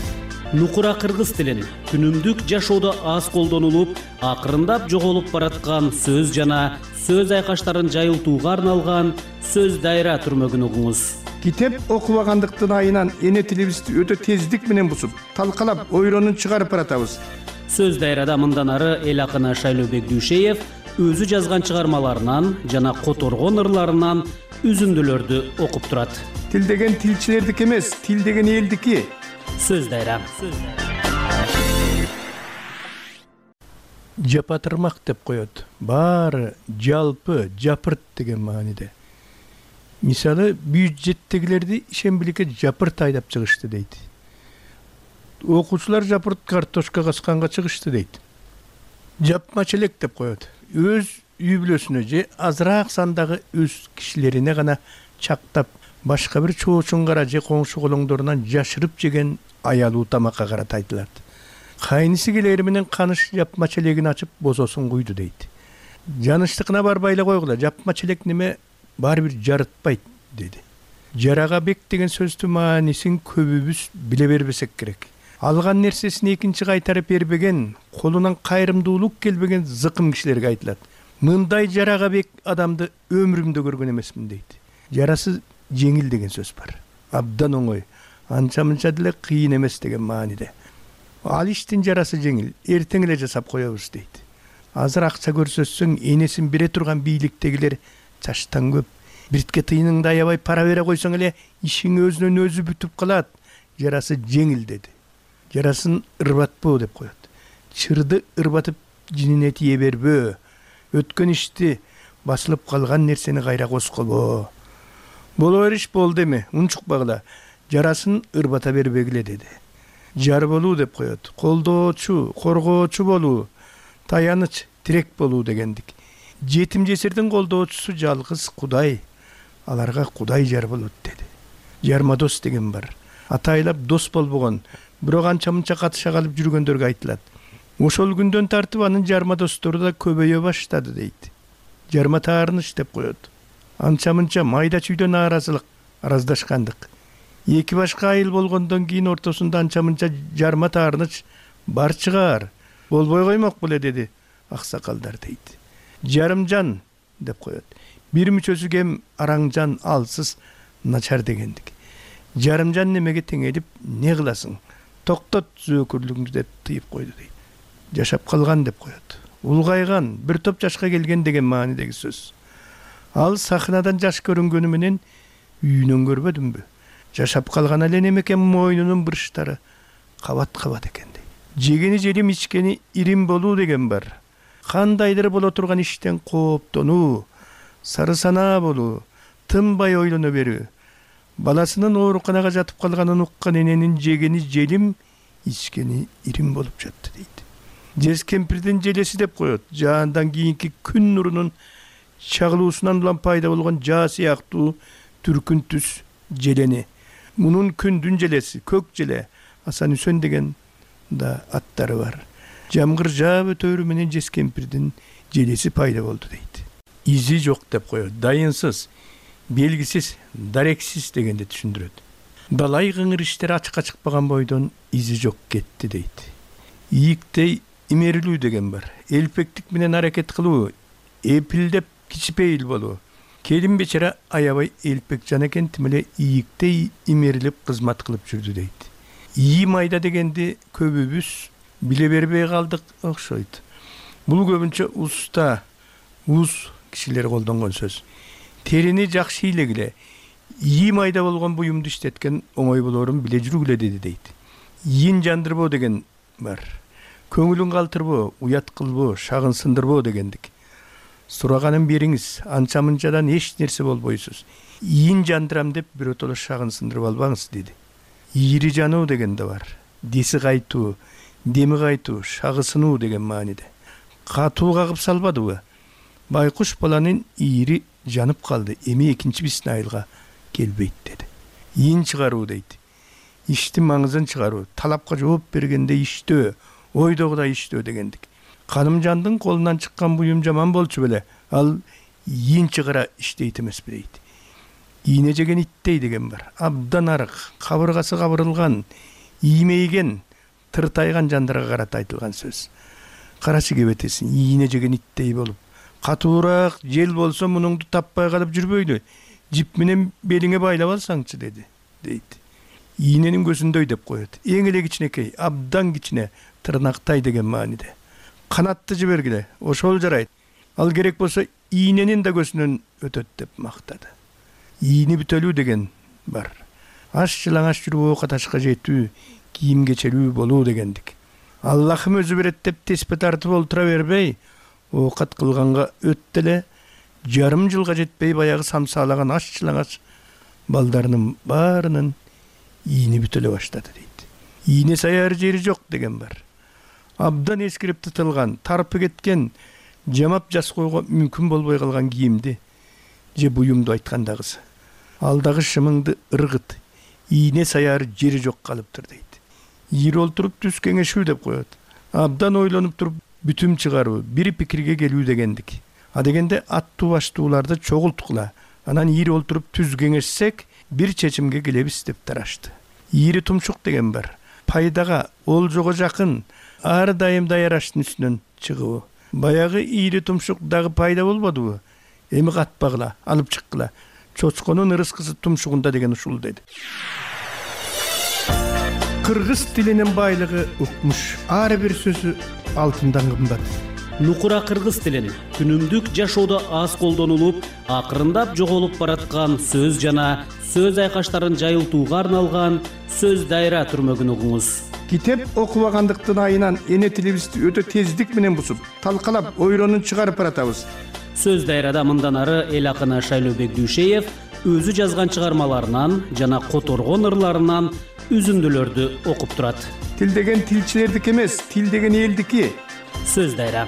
[SPEAKER 5] Нукура кыргыз тилин күнүмдүк жашоодо аз колдонулуп, акырындап жоголуп бараткан сөз жана сөз айкаштарын жайылтууга арналган сөз дайра түрмөгүн угуңуз.
[SPEAKER 18] Китеп окубагандыктын айынан эне тилибизди өтө тездик менен бусуп, талкалап, ойронун чыгарып баратабыз.
[SPEAKER 5] Сөз дайрада мындан ары эл акыны Шайлообек Дүйшеев өзү жазган чыгармаларынан жана которгон ырларынан үзүндүлөрдү окуп турат.
[SPEAKER 18] Тил деген тилчилердики эмес, тил деген элдики.
[SPEAKER 5] Сөз дайра.
[SPEAKER 18] Жапатырмак деп коет. Баары жалпы, жапырт деген мааниде. Мисалы, бюджеттегилерди ишембиликке жапырт айдап чыгышты дейт. Окуучулар жапырт картошка касканга чыгышты дейт. Жапма челек деп коет. Өз үй бүлөсүнө же азыраак сандагы өз кишилерине гана чактап, башка бир чоочунгара же коңшу колоңдорунан жашырып жеген аялуу тамакка карата айтылат. Кайнысы келери менен каныш жапма челегин ачып бозосун куйду дейт. Жаныштыкына барбай эле койгула, жапма челек неме баары бир жарытпайт деди. Жарага бек деген сөздүн маанисин көбүбүз биле бербесек керек. Алган нерсесин экинчи кайтарып бербеген, колунан кайрымдуулук келбеген зыкым кишилерге айтылат. Мындай жарага бек адамды өмүрүмдө көргөн эмесмин дейт. Жарасы жеңил деген сөз бар. Абдан оңой. Анча-мынча деле кыйын эмес деген мааниде. Ал иштин жарасы жеңил, эртең эле жасап коебуз дейт. азыр акча көрсөтсөң энесин бере турган бийликтегилер чачтан көп. Биртке тыйыныңды аябай пара бере койсоң эле ишиң өзүнөн өзү бүтүп калат. Жарасы жеңил деди. Жарасын ырбатпоо деп коет. Чырды ырбатып жинине тие бербөө. Өткөн ишти басылып калган нерсени кайра коскобо. Боло бериш болду эми, унчукпагыла. Жарасын ырбата бербегиле деди. Жар болуу деп коет. Колдоочу, коргоочу болуу, таяныч, тирек болуу дегендик. Жетим жесирдин колдоочусу жалгыз Кудай. Аларга Кудай жар болот деди. Жарма дос деген бар. Атайлап дос болбогон, бирок анча-мынча катыша калып жүргөндөргө айтылат. Ошол күндөн тартып анын жарма достору да көбөйө баштады дейт. Жарма таарыныч деп коет. Анча-мынча майда чүйдөн нааразылык, араздашкандык. Эки башка айыл болгондон кийин ортосунда анча-мынча жарма таарыныч бар чыгар. Болбой коймок беле деди аксакалдар дейт. Жарымжан деп коет. Бир мүчөсү кем араңжан, алсыз, начар дегендик. Жарымжан немеге теңелип не кыласың? Токтот зөөкүрлүгүңдү деп тыйып койду дейт. Жашап калган деп коет. Улгайган, бир топ жашка келген деген маанидеги сөз. Ал сахнадан жаш көрүнгөнү менен үйүнөн көрбөдүмбү? Жашап калган эле немеке мойнунун бурчтары кабат-кабат экен дейт. Жегени желим, ичкени ирим болуу деген бар. Кандайдыр боло турган иштен кооптонуу, сары санаа болуу, тынбай ойлоно берүү. Баласынын ооруканага жатып калганын уккан эненин жегени желим, ичкени ирим болуп жатты дейт. Жез кемпирдин желеси деп коет. Жаандан кийинки күн нурунун чагылуусунан улам пайда болгон жаа сыяктуу түркүн түс желени. Мунун күндүн желеси, көк желе, Асан Үсөн деген да аттары бар. Жамгыр жаап өтөрү менен жез кемпирдин желеси пайда болду дейт. Изи жок деп коет. Дайынсыз, белгисиз, дарексиз дегенди түшүндүрөт. Далай кыңыр иштер ачыкка чыкпаган бойдон изи жок кетти дейт. Ийиктей имерилүү деген бар. Элпектик менен аракет кылуу, эпилдеп кичипейил болуу. Келин бечара аябай элпек жан экен, тим эле ийиктей имерилип кызмат кылып жүрдү дейт. Ийи майда дегенди көбүбүз биле бербей калдык окшойт. Бул көбүнчө уста, уз кишилер колдонгон сөз. Терини жакшы илегиле, ийи майда болгон буюмду иштеткен оңой болорун биле жүргүлө деди дейт. Ийин жандырбоо деген бар. Көңүлүн калтырбоо, уят кылбоо, шагын сындырбоо дегендик. Сураганын бериңиз, анча-мынчадан эч нерсе болбойсуз. Ийин жандырам деп биротоло шагын сындырып албаңыз деди. Ийри жануу деген да бар. Деси кайтуу, деми кайтуу, шагы сынуу деген мааниде. Катуу кагып салбадыбы? Байкуш баланын ийри жанып калды, эми экинчи биздин айылга келбейт деди. Ийин чыгаруу дейт. Иштин маңызын чыгаруу, талапка жооп бергенде иштөө, ойдогудай иштөө дегендик. Канымжандын колунан чыккан буюм жаман болчу беле, ал ийин чыгара иштейт эмеспи дейт. Ийне жеген иттей деген бар. Абдан арык, кабыргасы кабырылган, иймейген, тыртайган жандарга карата айтылган сөз. Карачы кебетесин, ийне жеген иттей болуп, катуураак жел болсо мунуңду таппай калып жүрбөйлү. Жип менен белиңе байлап алсаңчы деди, дейт. Ийненин көзүндөй деп коет. Эң эле кичинекей, абдан кичине, тырнактай деген мааниде. Канатты жибергиле, ошол жарайт. Ал керек болсо ийненин да көзүнөн өтөт деп мактады. Ийни бүтөлүү деген бар. Аш жылаңаш жүрүп ока ташка жетүү, кийим кечелүү болуу дегендик. Аллахым өзү берет деп теспе тартып олтура бербей, оокат кылганга өт деле, жарым жылга жетпей баягы самсаалаган аш жылаңаш балдарынын баарынын ийни бүтөлө баштады дейт. Ийне саяр жери жок деген бар. Абдан эскирип тытылган, тарпы кеткен, жамап жас койго мүмкүн болбой калган кийимди же буюмду айткандагысы. Алдагы шымыңды ыргыт, ийне саяр жери жок калыптыр дейт. Ийри олтуруп түз кеңешүү деп коет. Абдан ойлонуп туруп бүтүм чыгаруу, бир пикирге келүү дегендик. А дегенде аттуу баштууларды чогулткула, анан ийри олтуруп түз кеңешсек, бир чечимге келебиз деп тарашты. Ийри тумшук деген бар. Пайдага, олжого жакын, ар дайым даяраштын үстүнөн чыгуу. Баягы ийри тумшук дагы пайда болбодубу? Эми катпагыла, алып чыккыла. Чочконун ырыскысы тумшугунда деген ушул деди. Кыргыз тилинин байлыгы укмуш. Ар бир сөзү алтындан кымбат.
[SPEAKER 5] нукура кыргыз тилин күнүмдүк жашоодо аз колдонулуп, акырындап жоголуп бараткан сөз жана сөз айкаштарын жайылтууга арналган сөз дайра түрмөгүн угуңуз.
[SPEAKER 18] Китеп окубагандыктын айынан эне тилибизди өтө тездик менен бусуп, талкалап, ойлонуп чыгарып баратабыз.
[SPEAKER 5] Сөз дайрада мындан ары эл акыны Шайлообек Дүйшеев өзү жазган чыгармаларынан жана которгон ырларынан үзүндүлөрдү окуп турат.
[SPEAKER 18] Тил деген тилчилердики эмес, тил деген элдики.
[SPEAKER 5] Сөз дайра.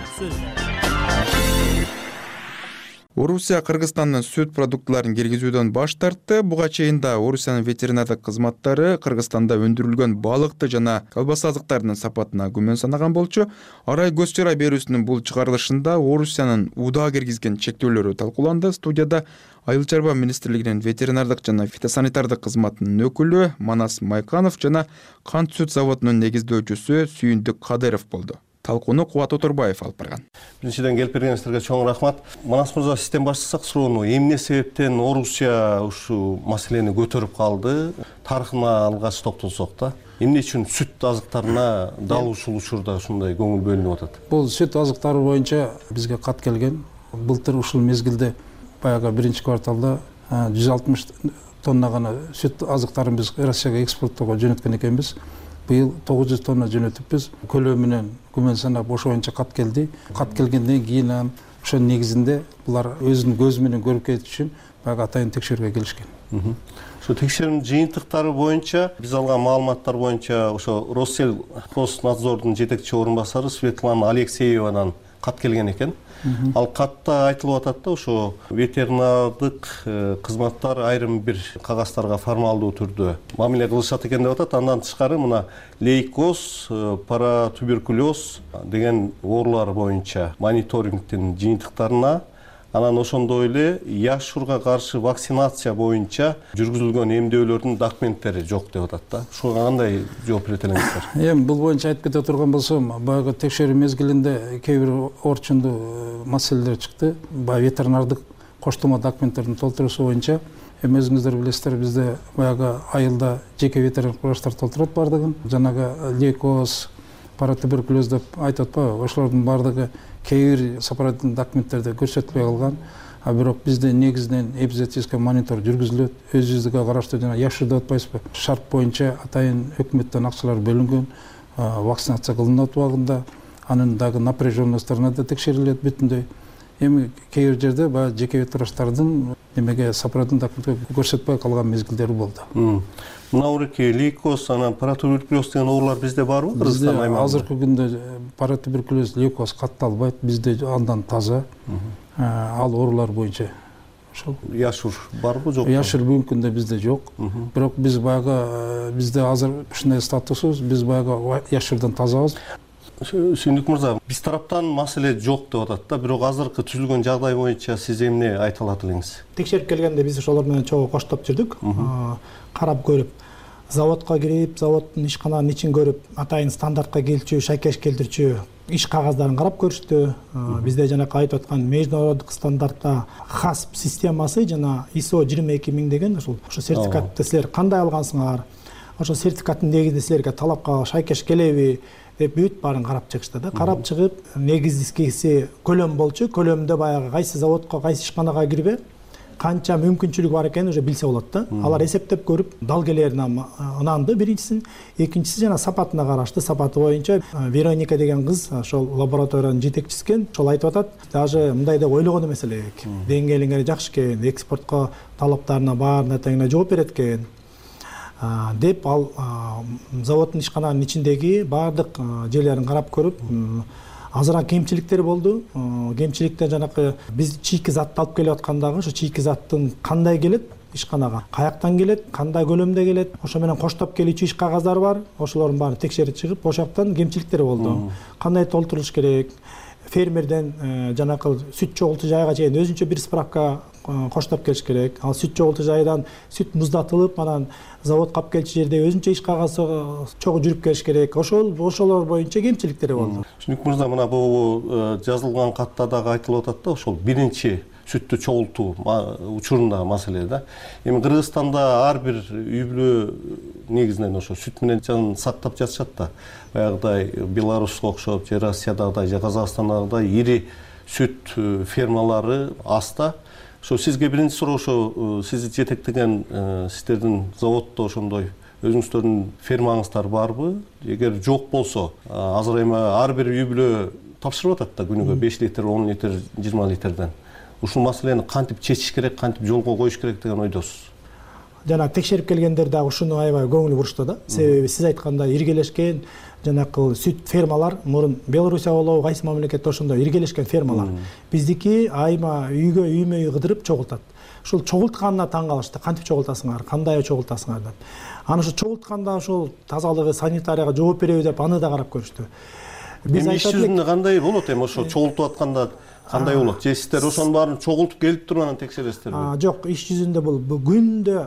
[SPEAKER 2] Орусия Кыргызстандын сүт продуктларын киргизүүдөн баш тартты. Буга чейин да Орусиянын ветеринардык кызматтары Кыргызстанда өндүрүлгөн балыкты жана колбаса азыктарынын сапатына күмөн санаган болчу. Арай көз чара берүүсүнүн бул чыгарылышында Орусиянын УДА киргизген чектөөлөрү талкууланды. Студияда Айыл чарба министрлигинин ветеринардык жана фитосанитардык кызматынын өкүлү Манас Майканов жана кант сүт заводунун негиздөөчүсү Сүйүндүк Кадыров болду. Талкууну Кубат Оторбаев алып барган.
[SPEAKER 19] Биринчиден келип бергениңиздерге чоң рахмат. Манас мырза, сизден баштасак суроону, эмне себептен Орусия ушул маселени көтөрүп калды? Тарыхына алгач токтолсок да. Эмне үчүн сүт азыктарына дал ушул учурда ушундай көңүл бөлүнүп атат?
[SPEAKER 20] Бул сүт азыктары боюнча бизге кат келген. Былтыр ушул мезгилде баягы биринчи кварталда жүз алтымыш тонна гана сүт азыктарын биз Россияга экспорттоого жөнөткөн экенбиз. Быйыл тогуз жүз тонна жөнөтүпбүз. Көлөө менен күмөн санап ошо боюнча кат келди. Кат келгенден кийин анан ошонун негизинде булар өзүнүн көзү менен көрүп кетиш үчүн баягы атайын текшерүүгө келишкен.
[SPEAKER 19] Ошо текшерүүнүн жыйынтыктары боюнча биз алган маалыматтар боюнча ошо Россельхознадзордун жетекчи орун басары Светлана Алексеевадан кат келген экен. Ал катта айтылып атат да, ошо ветеринардык кызматтар айрым бир кагаздарга формалдуу түрдө мамиле кылышат экен деп атат. Андан тышкары мына лейкоз, паратуберкулез деген оорулар боюнча мониторингдин жыйынтыктарына, анан ошондой эле яшурга каршы вакцинация боюнча жүргүзүлгөн эмдөөлөрдүн документтери жок деп атат да. Ушуга кандай жооп берет элеңиздер?
[SPEAKER 20] Эми бул боюнча айтып кете турган болсом, баягы текшерүү мезгилинде кээ бир орчундуу маселелер чыкты. Баягы ветеринардык коштомо документтердин толтуруусу боюнча эми өзүңүздөр билесиздер, бизде баягы айылда жеке ветеринардык врачтар толтурат бардыгын. Жанагы лейкоз, паратуберкулез деп айтып атпайбы? Ошолордун бардыгы кээ бир сапараттын документтерде көрсөтпөй калган. А бирок бизде негизинен эпизоотический монитор жүргүзүлөт. Өзүбүзгө караштуу жана яшыр деп атпайсызбы? Шарт боюнча атайын өкмөттөн акчалар бөлүнгөн, вакцинация кылынат убагында, анын дагы напряженностторуна да текшерилет бүтүндөй. Эми кээ бир жерде баягы жеке ветврачтардын немеге сапараттын документке көрсөтпөй калган мезгилдери болду.
[SPEAKER 19] Мынауреки лейкоз, анан паратуберкулез деген оорулар бизде барбы?
[SPEAKER 20] Бизде азыркы күндө паратуберкулез, лейкоз катталбайт. Бизде андан таза. Ал оорулар боюнча ошол.
[SPEAKER 19] Яшур барбы, жокпу?
[SPEAKER 20] Яшур бүгүнкү күндө бизде жок. Бирок биз баягы бизде азыр ушундай статусубуз, биз баягы яшурдан тазабыз.
[SPEAKER 19] Сүйүндүк мырза, биз тараптан маселе жок деп атат да, бирок азыркы түзүлгөн жагдай боюнча сиз эмне айта алат элеңиз?
[SPEAKER 21] Текшерип келгенде биз ошолор менен чогуу коштоп жүрдүк, карап көрүп, заводко кирип, заводдун ишкананын ичин көрүп, атайын стандартка келчү, шайкеш келтирчү иш кагаздарын карап көрүштү. Бизде жанакы айтып аткан международдук стандартта хасп системасы жана ай эс о жыйырма эки миң деген ошол ошо сертификатты силер кандай алгансыңар? Ошо сертификаттын негизинде силерге талапка шайкеш келеби деп бүт баарын карап чыгышты да. Карап чыгып, негизгиси көлөм болчу. Көлөмдө баягы кайсы заводко, кайсы ишканага кирбе, канча мүмкүнчүлүк бар экенин уже билсе болот да. Алар эсептеп көрүп, далгелерине ынанды биринчисин. Экинчиси жана сапатына карашты. Сапаты боюнча Вероника деген кыз ошол лабораториянын жетекчиси экен. Ошол айтып атат, даже мындай деп ойлогон эмес элек. Деңгээлиңер жакшы экен, экспортко талаптарына баарына теңине жооп берет экен деп ал заводдун ишкананын ичиндеги баардык жерлерин карап көрүп, азыраак кемчиликтер болду. Кемчиликтер жанакы биз чийки затты алып келип аткандагы ошо чийки заттын кандай келет ишканага, каяктан келет, кандай көлөмдө келет, ошо менен коштоп келүүчү иш кагаздар бар. Ошолордун баарын текшерип чыгып, ошол жактан кемчиликтер болду. Кандай толтурулуш керек? Фермерден жанакы сүт чогултуу жайга чейин өзүнчө бир справка коштоп келиш керек. Ал сүт чогултуу жайдан сүт муздатылып, анан заводко алып келчү жерде өзүнчө иш кагазы чогуу жүрүп келиш керек. Ошол ошолор боюнча кемчиликтери болду.
[SPEAKER 19] Сүйүндүк мырза, мына бул жазылган катта дагы айтылып атат да, ошол биринчи сүттү чогултуу учурундагы маселе да. Эми Кыргызстанда ар бир үй бүлө негизинен ошо сүт менен жанын сактап жатышат да. Баягыдай Беларуска окшоп, же Россиядагыдай, же Казакстандагыдай ири сүт фермалары аста. Ошо сизге биринчи суроо, ошо сизди жетектеген сиздердин заводдо ошондой өзүңүздөрдүн фермаңыздар барбы? Эгер жок болсо, азыр эми ар бир үй бүлө тапшырып атат да күнүгө беш литр, он литр, жыйырма литрден. Ушул маселени кантип чечиш керек, кантип жолго коюш керек деген ойдосуз?
[SPEAKER 21] Жана текшерип келгендер дагы ушуну аябай көңүл бурушту да. Себеби сиз айткандай иргелешкен жанакы сүт фермалар мурун Белоруссия болобу, кайсы мамлекетте ошондой иргелешкен фермалар. Биздики айма үйгө үймө үй кыдырып чогултат. Ушул чогултканына таң калышты. Кантип чогултасыңар, кандай чогултасыңар деп. Аны ошо чогултканда ошол тазалыгы, санитарияга жооп береби деп аны да карап көрүштү.
[SPEAKER 19] Биз иш жүзүндө кандай болот эми ошо чогултуп атканда кандай болот? Же сиздер ошонун баарын чогултуп келип туруп анан текшересиздерби?
[SPEAKER 21] Жок, иш жүзүндө бул күндө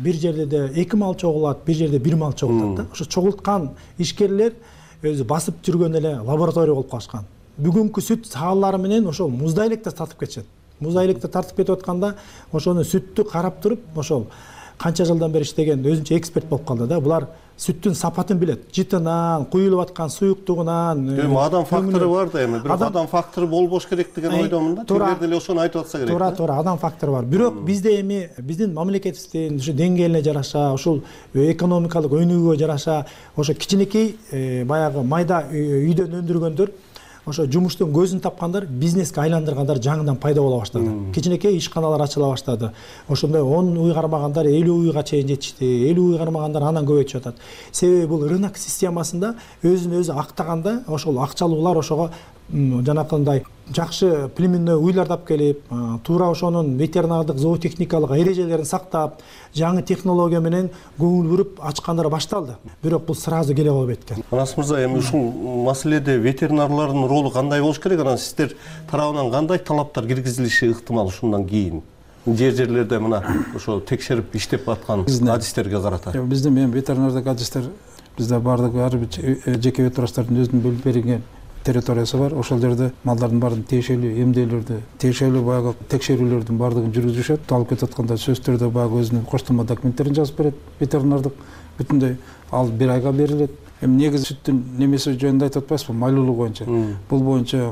[SPEAKER 21] бир жерде эки мал чогулат, бир жерде бир мал чогултат да. Ошо чогулткан ишкерлер өзү басып жүргөн эле лаборатория болуп калышкан. Бүгүнкү сүт саалары менен ошол муздай электе тартып кетишет. Муздай электе тартып кетип атканда ошону сүттү карап туруп, ошол канча жылдан бери иштеген өзүнчө эксперт болуп калды да. Булар сүттүн сапатын билет. Жытынан, куюлуп аткан суюктугунан.
[SPEAKER 19] Эми адам фактору бар да эми. Бирок адам фактору болбош керек деген ойдомун да. Тилер деле ошону айтып атса керек.
[SPEAKER 21] Туура, туура, адам фактору бар. Бирок бизде эми биздин мамлекетибиздин ушу деңгээлине жараша, ушул экономикалык өнүгүүгө жараша, ошо кичинекей баягы майда үйдөн өндүргөндөр ошо жумуштун көзүн тапкандар, бизнеске айландыргандар жаңыдан пайда боло баштады. Кичинекей ишканалар ачыла баштады. Ошондой он уй кармагандар элүү уйга чейин жетишти. элүү уй кармагандар анан көбөйтүп атат. Себеби бул рынок системасында өзүн өзү актаганда ошол акчалуулар ошого жанакындай жакшы племенный уйлар тап келип, туура ошонун ветеринардык зоотехникалык эрежелерин сактап, жаңы технология менен көңүл буруп ачкандар башталды. Бирок бул сразу келе албайт экен.
[SPEAKER 19] Манас мырза, эми ушул маселеде ветеринарлардын ролу кандай болуш керек? Анан сиздер тарабынан кандай талаптар киргизилиши ыктымал ушундан кийин? Жер жерлерде мына ошо текшерип иштеп аткан адистерге карата.
[SPEAKER 20] Биздин эми ветеринардык адистер бизде бардыгы ар бир жеке ветврачтардын өзүнүн бөлүп берилген территориясы бар. Ошол жерде малдардын баарын тиешелүү эмделерди, тиешелүү баягы текшерүүлөрдүн баардыгын жүргүзүшөт. Алып кетип атканда сөзсүз түрдө баягы өзүнүн коштолмо документтерин жазып берет. Ветеринардык бүтүндөй ал бир айга берилет. Эми негизи сүттүн немеси жөнүндө айтып атпайсызбы? Майлуулугу боюнча. Бул боюнча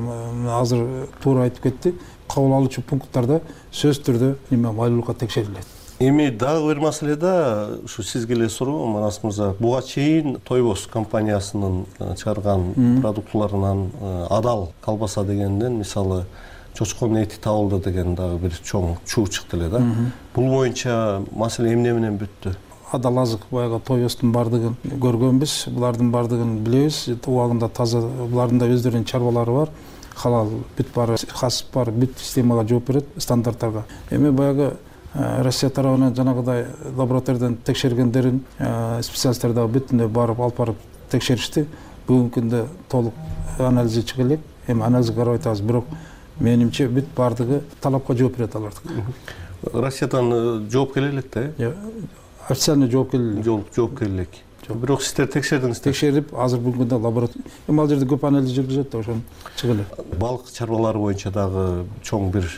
[SPEAKER 20] азыр туура айтып кетти. Кабыл алуучу пункттарда сөзсүз түрдө неме майлуулукка текшерилет.
[SPEAKER 19] Эми дагы бир маселе да, ушу сизге эле суроо, Манас мырза. Буга чейин Тойбос компаниясынын чыгарган продуктыларынан адал колбаса дегенден, мисалы, чочконун эти табылды деген дагы бир чоң чуу чыкты эле да. Бул боюнча маселе эмне менен бүттү?
[SPEAKER 20] Адал азык баягы Тойбостун бардыгын көргөнбүз, булардын бардыгын билебиз. Убагында таза, булардын да өздөрүнүн чарбалары бар. Халал бүт бар, хас бар, бүт системага жооп берет, стандарттарга. Эми баягы Россия тарабынан жанагыдай лабораториядан текшергендерин специалисттер дагы бүтүндөй барып алып барып текшеришти. Бүгүнкү күндө толук анализи чыга элек. Эми анализге карап атабыз, бирок менимче бүт бардыгы талапка жооп берет алардык.
[SPEAKER 19] Россиядан жооп келе элек да?
[SPEAKER 20] Официально жооп келе элек.
[SPEAKER 19] Жооп келе элек. Бирок сиздер текшердиңиздер.
[SPEAKER 20] Текшерип, азыр бүгүнкү күндө лаборатория. Эми ал жерде көп анализ жүргүзөт да, ошон чыга элек.
[SPEAKER 19] Балык чарбалары боюнча дагы чоң бир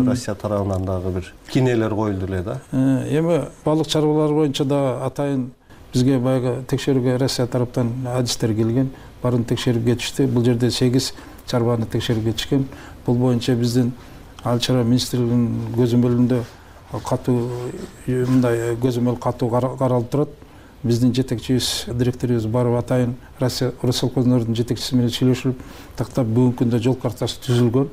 [SPEAKER 19] Россия тарабынан дагы бир кинелер коюлду эле да.
[SPEAKER 20] Эми балык чарбалары боюнча да атайын бизге баягы текшерүүгө Россия тараптан адистер келген, баарын текшерип кетишти. Бул жерде сегиз чарбаны текшерип кетишкен. Бул боюнча биздин Айыл чарба министрлигинин көзөмөлүндө катуу мындай көзөмөл катуу каралып турат. Биздин жетекчибиз, директорубуз барып атайын Россия Росселхознордун жетекчиси менен сүйлөшүп, тактап бүгүнкү күндө жол картасы түзүлгөн.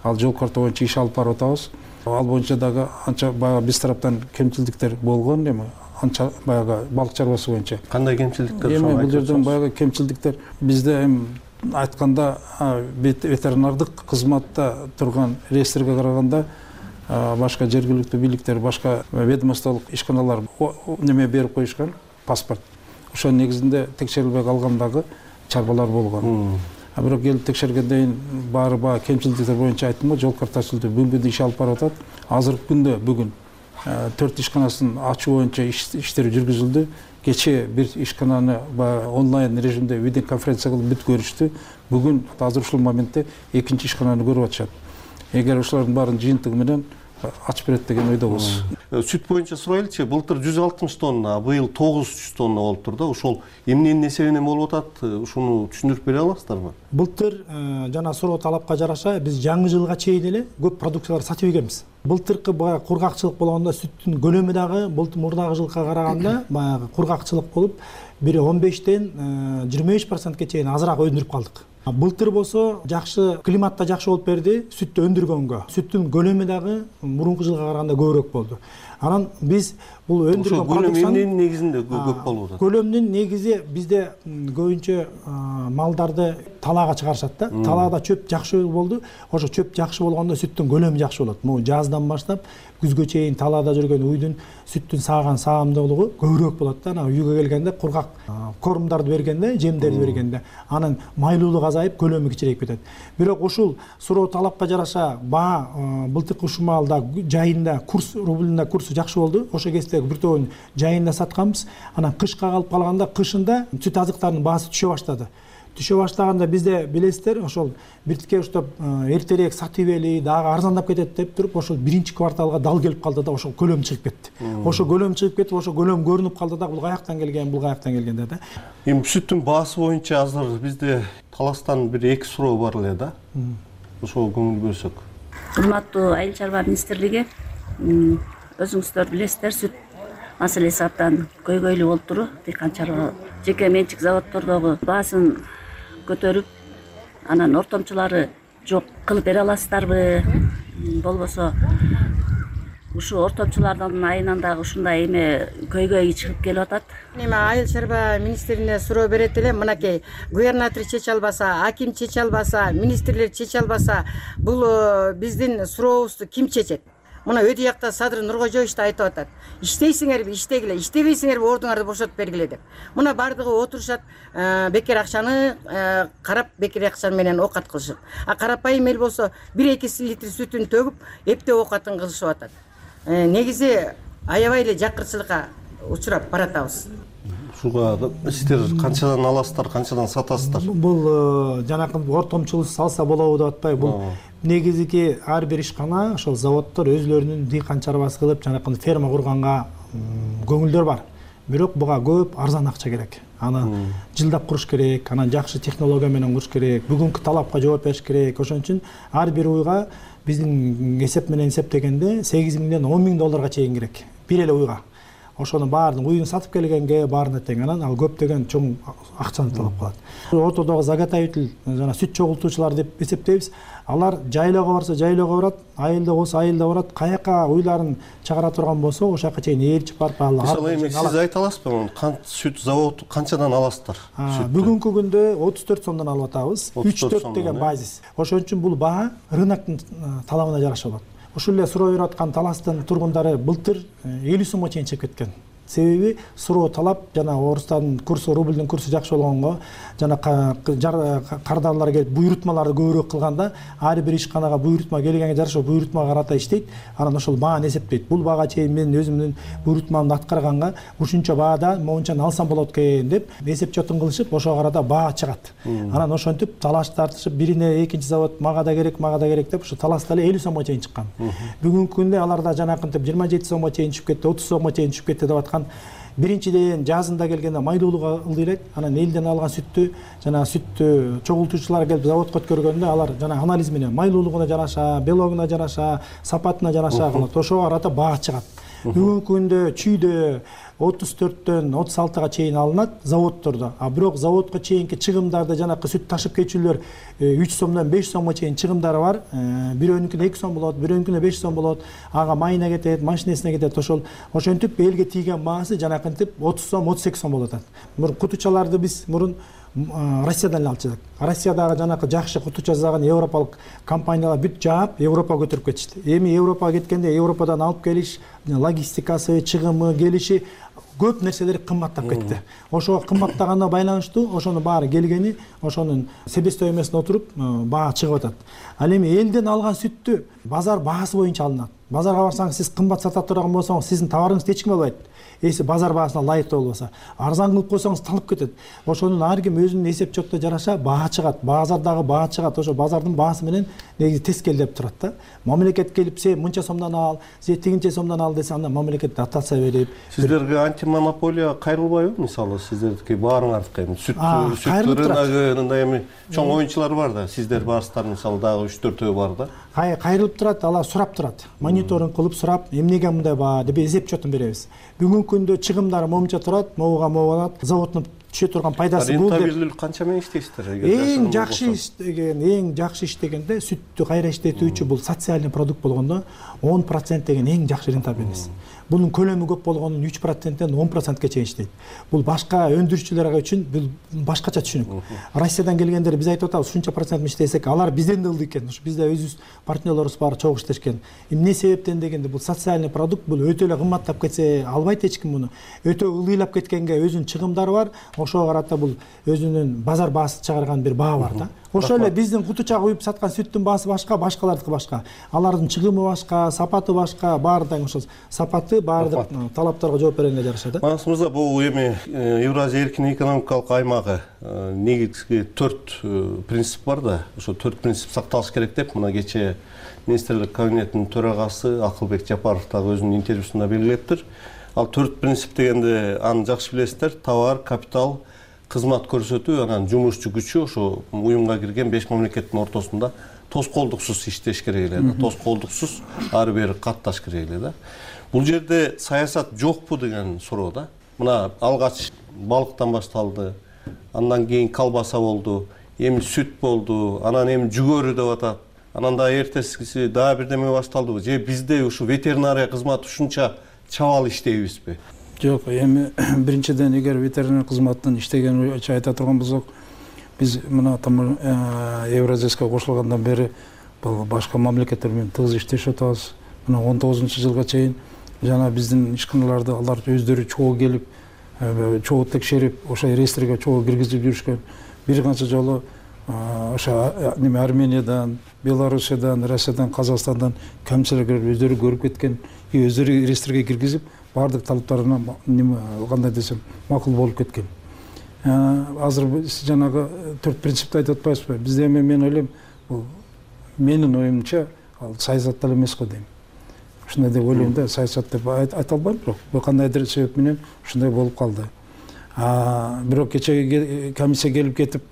[SPEAKER 20] Ал жол карта боюнча иш алып барып атабыз. Ал боюнча дагы анча баягы биз тараптан кемчилдиктер болгон, эми анча баягы балык чарбасы боюнча.
[SPEAKER 19] Кандай кемчилдиктер?
[SPEAKER 20] Эми бул жерден баягы кемчилдиктер бизде эми айтканда ветеринардык кызматта турган реестрге караганда башка жергиликтүү бийликтер, башка ведомстволук ишканалар неме берип коюшкан. Паспорт. Ошонун негизинде текшерилбей калгандагы чарбалар болгон. А бирок келип текшергенден баары баягы кемчилдиктер боюнча айттым го, жол картасы түзүлдү. Бүгүнкү иш алып барып атат. Азыркы күндө бүгүн төрт ишканасын ачуу боюнча иштер жүргүзүлдү. Кечээ бир ишкананы онлайн режимде видеоконференция кылып бүт көрүштү. Бүгүн азыр ушул моментте экинчи ишкананы көрүп атышат. эгер ошолордун баарын жыйынтыгы менен ачып берет деген ойдобуз.
[SPEAKER 19] Сүт боюнча сурайлычы, былтыр жүз алтымыш тонна, быйыл тогуз жүз тонна болуптур да. Ошол эмненин эсебинен болуп атат? Ушуну түшүндүрүп бере аласыздарбы?
[SPEAKER 21] Былтыр жана суроо талапка жараша биз жаңы жылга чейин эле көп продукциялар сатып ийгенбиз. Былтыркы баягы кургакчылык болгондо сүттүн көлөмү дагы былтыр мурдагы жылга караганда баягы кургакчылык болуп бир он бештен жыйырма беш процентке чейин азыраак өндүрүп калдык. Былтыр болсо жакшы климатта жакшы болуп берди сүттү өндүргөнгө. Сүттүн көлөмү дагы мурунку жылга караганда көбүрөөк болду. Анан биз бул өндүргөн
[SPEAKER 19] продукцияны эмненин негизинде көп болуп атат?
[SPEAKER 21] Көлөмдүн негизи бизде көбүнчө малдарды талаага чыгарышат да. Талаада чөп жакшы болду. Ошо чөп жакшы болгондо сүттүн көлөмү жакшы болот. Могу жаздан баштап күзгө чейин талаада жүргөн уйдун сүттүн сааган саамдуулугу көбүрөөк болот да. Анан үйгө келгенде кургак кормдарды бергенде, жемдерди бергенде анын майлуулугу азайып, көлөмү кичирейип кетет. Бирок ушул суроо талапка жараша баа былтыркы ушул маалда жайында курс рубльда курсу жакшы болду. Ошо кезде бир тобун жайында сатканбыз. Анан кышка калып калганда кышында сүт азыктарынын баасы түшө баштады. Түшө баштаганда бизде билесиздер, ошол биртке уштап эртерээк сатып эли, дагы арзандап кетет деп туруп, ошол биринчи кварталга дал келип калды да, ошол көлөм чыгып кетти. Ошо көлөм чыгып кетип, ошо көлөм көрүнүп калды да, бул каяктан келген, бул каяктан келген деп да.
[SPEAKER 19] Эми сүттүн баасы боюнча азыр бизде таластан бир эки суроо бар эле да. Ошого көңүл бөлсөк.
[SPEAKER 1] Урматтуу Айыл чарба министрлиги, өзүңүздөр билесиздер, сүт маселеси абдан көйгөйлүү болуп туру. Дыйкан чарба жеке менчик заводдордогу баасын көтөрүп, анан ортомчулары жок кылып бере аласыздарбы? Болбосо ушу ортомчулардын айынан дагы ушундай эме көйгөй чыгып келип атат.
[SPEAKER 22] Эми Айыл чарба министрине суроо берет элем, мынакей губернатор чече албаса, аким чече албаса, министрлер чече албаса, бул биздин сурообузду ким чечет? Мына өтө жакта Садыр Нуркожоевич да айтып атат. Иштейсиңерби, иштегиле, иштебейсиңерби ордуңарды бошотуп бергиле деп. Мына бардыгы отурушат, бекер акчаны карап, бекер акча менен оокат кылышат. А карапайым эл болсо бир эки литр сүтүн төгүп, эптеп оокатын кылышып атат. Негизи аябай эле жакырчылыкка учурап баратабыз.
[SPEAKER 19] Ушуга сиздер канчадан аласыздар, канчадан сатасыздар?
[SPEAKER 21] Бул жанакы ортомчулук салса болобу деп атпайбы? Бул негизги ар бир ишкана, ошол заводдор өзлөрүнүн дыйкан чарбасы кылып, жанакы ферма курганга көңүлдөр бар. Бирок буга көп арзан акча керек. Аны жылдап куруш керек, анан жакшы технология менен куруш керек, бүгүнкү талапка жооп бериш керек. Ошон үчүн ар бир уйга биздин эсеп менен эсептегенде сегиз миңден он миң долларга чейин керек. Бир эле уйга. Ошону баарын уйун сатып келгенге баарына тең, анан ал көптөгөн чоң акчаны талап кылат. Ортодогу заготовитель жана сүт чогултуучулар деп эсептейбиз. Алар жайлоого барса жайлоого барат, айылда болсо айылда барат, каяка уйларын чыгара турган болсо ошол жака чейин ээрчип барып алат.
[SPEAKER 19] Мисалы эми сиз айта аласызбы, кант сүт заводу канчадан аласыздар?
[SPEAKER 21] Бүгүнкү күндө отуз төрт сомдон алып атабыз. үч төрт деген базис. Ошон үчүн бул баа рыноктун талабына жараша болот. Ушул эле суроо берип аткан таластын тургундары былтыр элүү сомго чейин чыгып кеткен. Себеби суроо талап жана орустардын курсу, рубльдин курсу жакшы болгонго, жана кардарлар келип буйрутмаларды көбүрөөк кылганда, ар бир ишканага буйрутма келгенге жараша буйрутмага карата иштейт, анан ошол бааны эсептейт. Бул баага чейин мен өзүмдүн буйрутмамды аткарганга ушунча баада моунчаны алсам болот экен деп эсеп чотун кылышып, ошого карата баа чыгат. Анан ошентип талаш тартышып, бирине экинчи завод мага да керек, мага да керек деп, ушу талашта эле элүү сомго чейин чыккан. Бүгүнкү күндө аларда жанакынтип жыйырма жети сомго чейин чыгып кетти, отуз сомго чейин чыгып кетти деп аткан. Биринчиден жазында келгенде майдуулугу ылдый элек, анан элден алган сүттү жана сүттү чогултуучулар келип заводко өткөргөндө алар жана анализ менен майлуулугуна жараша, белогуна жараша, сапатына жараша кылат. Ошого карата баа чыгат. Бүгүнкү күндө чүйдө отуз төрттөн отуз алтыга чейин алынат заводдордо. А бирок заводко чейинки чыгымдарды жанакы сүт ташып кетчүлөр үч сомдон беш сомго чейин чыгымдары бар. Бирөөнүкүнө эки сом болот, бирөөнүкүнө беш сом болот. Ага майына кетет, машинесине кетет. Ошол ошентип элге тийген баасы жанакынтип отуз сом, отуз эки сом болот. Мурун кутучаларды биз мурун Россиядан эле алчыдык. Россиядагы жанакы жакшы кутуча жасаган европалык компаниялар бүт жаап Европага көтөрүп кетишти. Эми Европага кеткенде Европадан алып келиш, логистикасы, чыгымы, келиши көп нерселер кымбаттап кетти. Ошого кымбаттаганына байланыштуу ошонун баары келгени ошонун себестоимостуна отуруп баа чыгып атат. Ал эми элден алган сүттү базар баасы боюнча алынат. Базарга барсаңыз сиз кымбат сата турган болсоңуз сиздин товарыңызды эч ким албайт. Эси базар баасына ылайыктуу болбосо, арзан кылып койсоңуз талып кетет. Ошонун ар ким өзүнүн эсеп чотто жараша баа чыгат. Базардагы баа чыгат. Ошо базардын баасы менен негизи тез келип турат да. Мамлекет келип сен мынча сомдон ал, сен тигинче сомдон ал десе, анда мамлекет дотация берип.
[SPEAKER 19] Сиздерге антимонополия кайрылбайбы? Мисалы, сиздердики баарыңардыкы эми сүт сүт рыногунда эми чоң оюнчулар бар да. Сиздер барсыздар, мисалы, дагы үч төртөө бар да.
[SPEAKER 21] Кайрылып турат, алар сурап турат. Мониторинг кылып сурап, эмнеге мындай баа деп эсеп чотун беребиз. Бүгүнкү күндө чыгымдары момунча турат, могуга могулат, заводдун түшө турган пайдасы бул деп.
[SPEAKER 19] Рентабелдүүлүк канча менен иштейсиздер?
[SPEAKER 21] Эң жакшы иштеген, эң жакшы иштегенде сүттү кайра иштетүүчү бул социальный продукт болгондо он процент деген эң жакшы рентабельность. Bunun kölömü көп болгонун үч проценттен он процентке чейин иштейт. Бул башка өндүрүүчүлөр үчүн бул башкача түшүнүк. Россиядан келгендер биз айтып атабыз, ушунча процент иштесек, алар бизден да ылдый экен. Ушу бизде өзүбүз партнерлорубуз бар, чогуу иштешкен. Эмне себептен дегенде, бул социальный продукт, бул өтө эле кымбаттап кетсе, албайт эч ким муну. Өтө ылдыйлап кеткенге өзүнүн чыгымдары бар. Ошого карата бул өзүнүн базар баасы чыгарган бир баа бар да. Ошо эле биздин кутуча куюп саткан сүттүн баасы башка, башкалардыкы башка. Алардын чыгымы башка, сапаты башка, баардыгы ошол сапаты баардык талаптарга жооп бергенге жараша да.
[SPEAKER 19] Манас мырза, бул эми Евразия эркин экономикалык аймагы негизги төрт принцип бар да. Ошо төрт принцип сакталыш керек деп мына кече министрлик кабинетинин төрагасы Акылбек Жапаров дагы өзүнүн интервьюсунда белгилептир. Ал төрт принцип дегенде аны жакшы билесиздер. Товар, капитал, кызмат көрсөтүү, анан жумушчу күчү ошо уюмга кирген беш мамлекеттин ортосунда тоскоолдуксуз иштеш керек эле да. Тоскоолдуксуз ары бери катташ керек эле да. Бул жерде саясат жокпу деген суроо да. Мына алгач балыктан башталды, андан кийин колбаса болду, эми сүт болду, анан эми жүгөрү деп атат. Анан да эртесиси дагы бирдеме башталдыбы? Же бизде ушу ветеринария кызматы ушунча чабал иштейбизби?
[SPEAKER 20] Жок, эми биринчиден эгер ветеринария кызматынын иштеген айта турган болсок, биз мына там Евразияга кошулгандан бери башка мамлекеттер менен тыгыз иштешип атабыз. Мына он тогузунчу жылга чейин жана биздин ишканаларды алар өздөрү чогуу келип, чогуу текшерип, ошо реестрге чогуу киргизип жүрүшкөн. Бир канча жолу ошо неме Армениядан, Белоруссиядан, Россиядан, Казакстандан камчылыктар өздөрү көрүп кеткен, и өздөрү реестрге киргизип, баардык талаптарына неме кандай десем макул болуп кеткен. Азыр биз жанагы төрт принципти айтып атпайбызбы? Бизде эми мен ойлойм, бул менин оюмча ал саясат деле эмес го дейм. Ушундай деп ойлойм да, саясат деп айта албайм, бирок бул кандайдыр себеп менен ушундай болуп калды. Бирок кечеги комиссия келип кетип,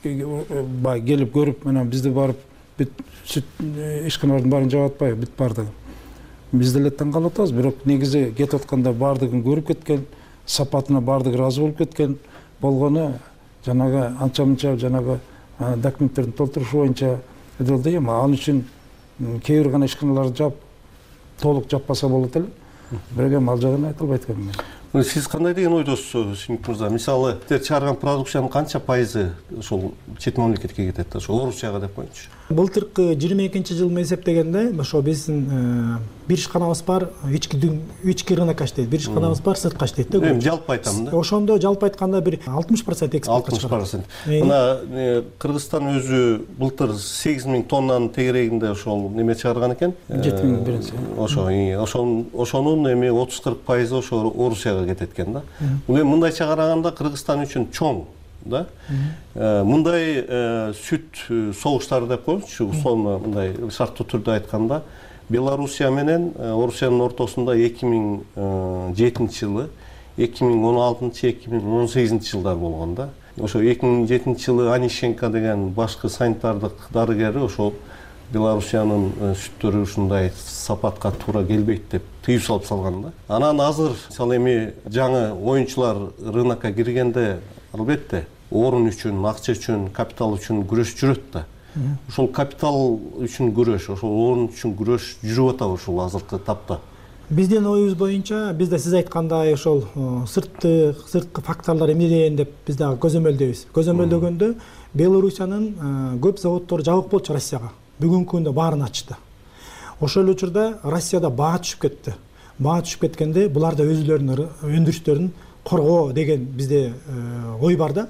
[SPEAKER 20] бай келип көрүп, менен бизди барып бүт сүт ишканалардын баарын жаап атпайбы, бүт баардыгы. Биз деле таң калып атабыз, бирок негизи кетип атканда баардыгын көрүп кеткен, сапатына баардыгы ыраазы болуп кеткен болгону жанагы анча-мынча жанагы документтердин толтурушу боюнча эдилди. Эми ал үчүн кээ бир гана ишканаларды жаап, толук жаппаса болот эле. Бирок эми ал жагын айта албайт экенмин.
[SPEAKER 19] Сиз кандай деген ойдосуз, Симик мырза? Мисалы, сиздер чыгарган продукциянын канча пайызы ошол чет мамлекетке кетет, ошо Орусияга деп коеюнчу?
[SPEAKER 21] Былтыркы жыйырма экинчи жылы эсептегенде ошо биздин бир ишканабыз бар, ички ички рынокко иштейт, бир ишканабыз бар, сыртка иштейт да.
[SPEAKER 19] Эми жалпы айтам да.
[SPEAKER 21] Ошондо жалпы айтканда бир алтымыш процент экспортко чыгат.
[SPEAKER 19] алтымыш процент. Мына Кыргызстан өзү былтыр сегиз миң тоннанын тегерегинде ошол неме чыгарган экен.
[SPEAKER 20] жети миң биринчи.
[SPEAKER 19] Ошо, ошонун эми отуз кырк пайызы ошо Орусияга кетет экен да. Бул эми мындайча караганда Кыргызстан үчүн чоң да. Мындай сүт согуштары деп коеюнчу, условно мындай шарттуу түрдө айтканда, Белоруссия менен Орусиянын ортосунда эки миң жетинчи жылы, эки миң он алтынчы, эки миң он сегизинчи жылдар болгон да. Ошо эки миң жетинчи жылы Анишенко деген башкы санитардык дарыгери ошол Белоруссиянын сүттөрү ушундай сапатка туура келбейт деп тыюу салып салган да. Анан азыр мисалы эми жаңы оюнчулар рынокко киргенде албетте орун үчүн, акча үчүн, капитал үчүн күрөш жүрөт да. Ошол капитал үчүн күрөш, ошол орун үчүн күрөш жүрүп атабы ушул азыркы тапта?
[SPEAKER 21] Биздин оюбуз боюнча, бизде сиз айткандай ошол сыртты, сырткы факторлор эмнеден деп биз дагы көзөмөлдөйбүз. Көзөмөлдөгөндө Белоруссиянын көп заводдору жабык болчу Россияга. Бүгүнкү күндө баарын ачты. Ошол учурда Россияда баа түшүп кетти. баа түшүп кеткенде булар да өзүлөрүнүн өндүрүштөрүн коргоо деген бизде ой бар да.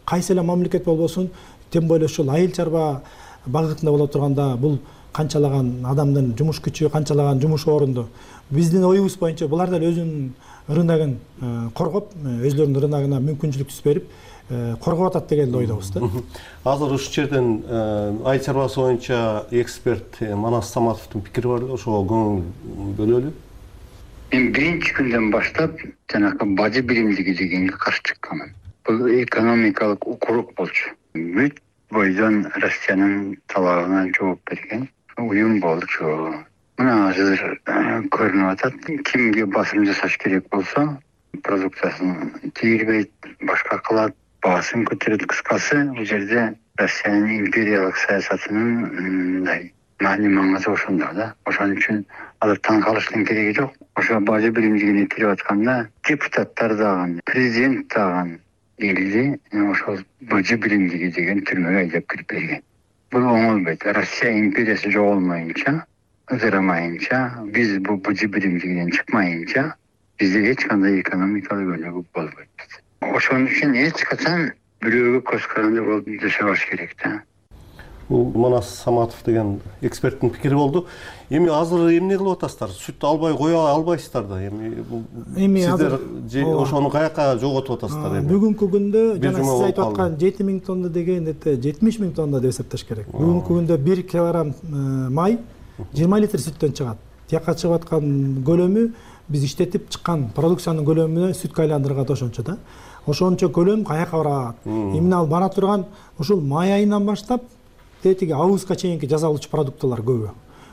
[SPEAKER 21] Кайсы эле мамлекет болбосун, тем более ушул айыл чарба багытында боло турганда бул канчалаган адамдын жумуш күчү, канчалаган жумуш орунду. Биздин оюбуз боюнча булар да өзүнүн рыногун коргоп, өзүлөрүнүн рыногуна мүмкүнчүлүк түз берип коргоп атат деген ойдобуз да.
[SPEAKER 19] Азыр ушул жерден айыл чарбасы боюнча эксперт Манас Саматовдун пикири бар, ошого көңүл бөлөлү.
[SPEAKER 8] Мен биринчи күндөн баштап жанакы бажы биримдиги дегенге каршы чыкканмын. Бул экономикалык укурук болчу. Бүт бойдон Россиянын талабына жооп берген уюм болчу. Мына азыр көрүнүп атат, кимге басым жасаш керек болсо, продукциясын тийирбейт, башка кылат, баасын көтөрөт. Кыскасы, бул жерде Россиянын империялык саясатынын мындай маани маңызы ошондо да. Ошон үчүн азыр таң калыштын кереги жок. Ошо бажы биримдигине кирип атканда депутаттар дагы, президент дагы элди ошол бажы биримдиги деген түрмөгө айдап кирип берген. Бул оңолбойт. Россия империясы жоголмайынча, ызырамайынча, биз бул бажы биримдигинен чыкмайынча бизде эч кандай экономикалык өнүгүү болбойт. Ошон үчүн эч качан бирөөгө көз каранды болуп жашабаш керек да.
[SPEAKER 19] Бул Манас Саматов деген эксперттин пикири болду. Эми азыр эмне кылып атасыздар? Сүт албай кое албайсыздар да. Эми эми сиздер ошону каяка жоготуп атасыздар эми?
[SPEAKER 21] Бүгүнкү күндө жана сиз айтып аткан жети миң тонна деген жетимиш миң тонна деп эсептеш керек. Бүгүнкү күндө бир килограмм май жыйырма литр сүттөн чыгат. Тияка чыгып аткан көлөмү биз иштетип чыккан продукциянын көлөмүнө сүткө айландырган ошончо да. Ошончо көлөм каяка барат? Эмне ал бара турган ушул май айынан баштап тетиги августка чейинки жасалуучу продуктылар көбү.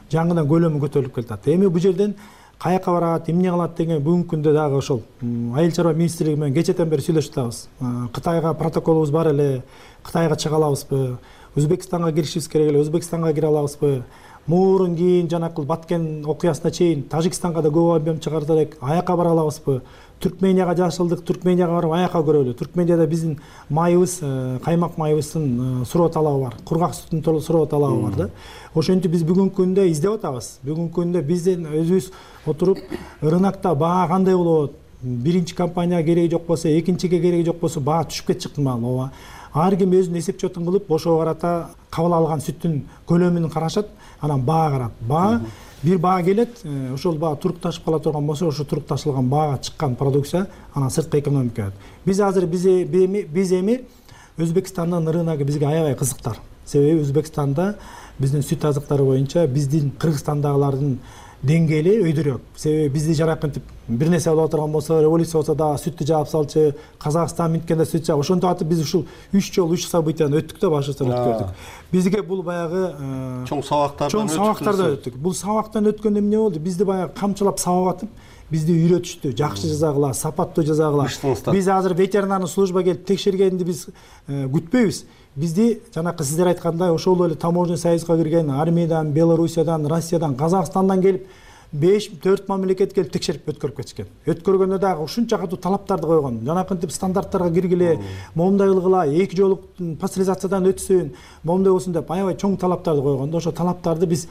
[SPEAKER 21] Жаңыдан көлөмү көтөрүлүп келатат. Эми бул жерден каяка барат, эмне кылат деген бүгүнкү күндө дагы ошол айыл чарба министрлиги менен кечэтен бери сүйлөшүп атабыз. Кытайга протоколубуз бар эле, Кытайга чыга алабызбы? Өзбекстанга киришибиз керек эле, Өзбекстанга кире алабызбы? Мурун кийин жанакыл Баткен окуясына чейин Тажикстанга да көп объем чыгарып элек, аяка бара алабызбы? Түркменияга жашылдык, Түркменияга барып аяка көрөлү. Түркменияда биздин майыбыз, каймак майыбыздын суроо талабы бар. Кургак сүттүн суроо талабы бар да. Ошентип биз бүгүнкү күндө издеп атабыз. Бүгүнкү күндө биздин өзүбүз отуруп рынокто баа кандай болот? Биринчи компанияга кереги жок болсо, экинчиге кереги жок болсо баа түшүп кетчү ыктымал. Ооба. Ар ким өзүнүн эсеп чотун кылып, ошого карата кабыл алган сүттүн көлөмүн карашат, анан баа карат. Баа бир баа келет, ошол баа турукташып кала турган болсо, ошо турукташылган баага чыккан продукция анан сырткы экономикага. Биз азыр биз эми Өзбекстандын рыногу бизге аябай кызыктар. Себеби Өзбекстанда биздин сүт азыктары боюнча биздин Кыргызстандагылардын деңгээли өйдөрөөк. Себеби бизди жаракынтип бир нерсе боло турган болсо, революция болсо да сүттү жаап салчу, Казакстан минткенде сүт жаап, ошондо атып биз ушул үч жолу үч событияны өттүк да башыбыздан өткөрдүк. Бизге бул баягы
[SPEAKER 19] чоң сабактардан
[SPEAKER 21] өттүк. Чоң сабактардан өттүк. Бул сабактан өткөндө эмне болду? Бизди баягы камчылап сабап атып, бизди үйрөтүштү. Жакшы жазагыла, сапаттуу жазагыла. Биз азыр ветеринарный служба келип текшергенди биз күтпөйбүз. Бизди жанакы сиздер айткандай ошол эле таможня союзга кирген Армениядан, Белоруссиядан, Россиядан, Казакстандан келип беш төрт мамлекет келип текшерип өткөрүп кетишкен. Өткөргөндө дагы ушунча катуу талаптарды койгон. Жанакынтип стандарттарга киргиле, момундай кылгыла, эки жолук пастеризациядан өтсүн, момундай болсун деп аябай чоң талаптарды койгондо, ошо талаптарды биз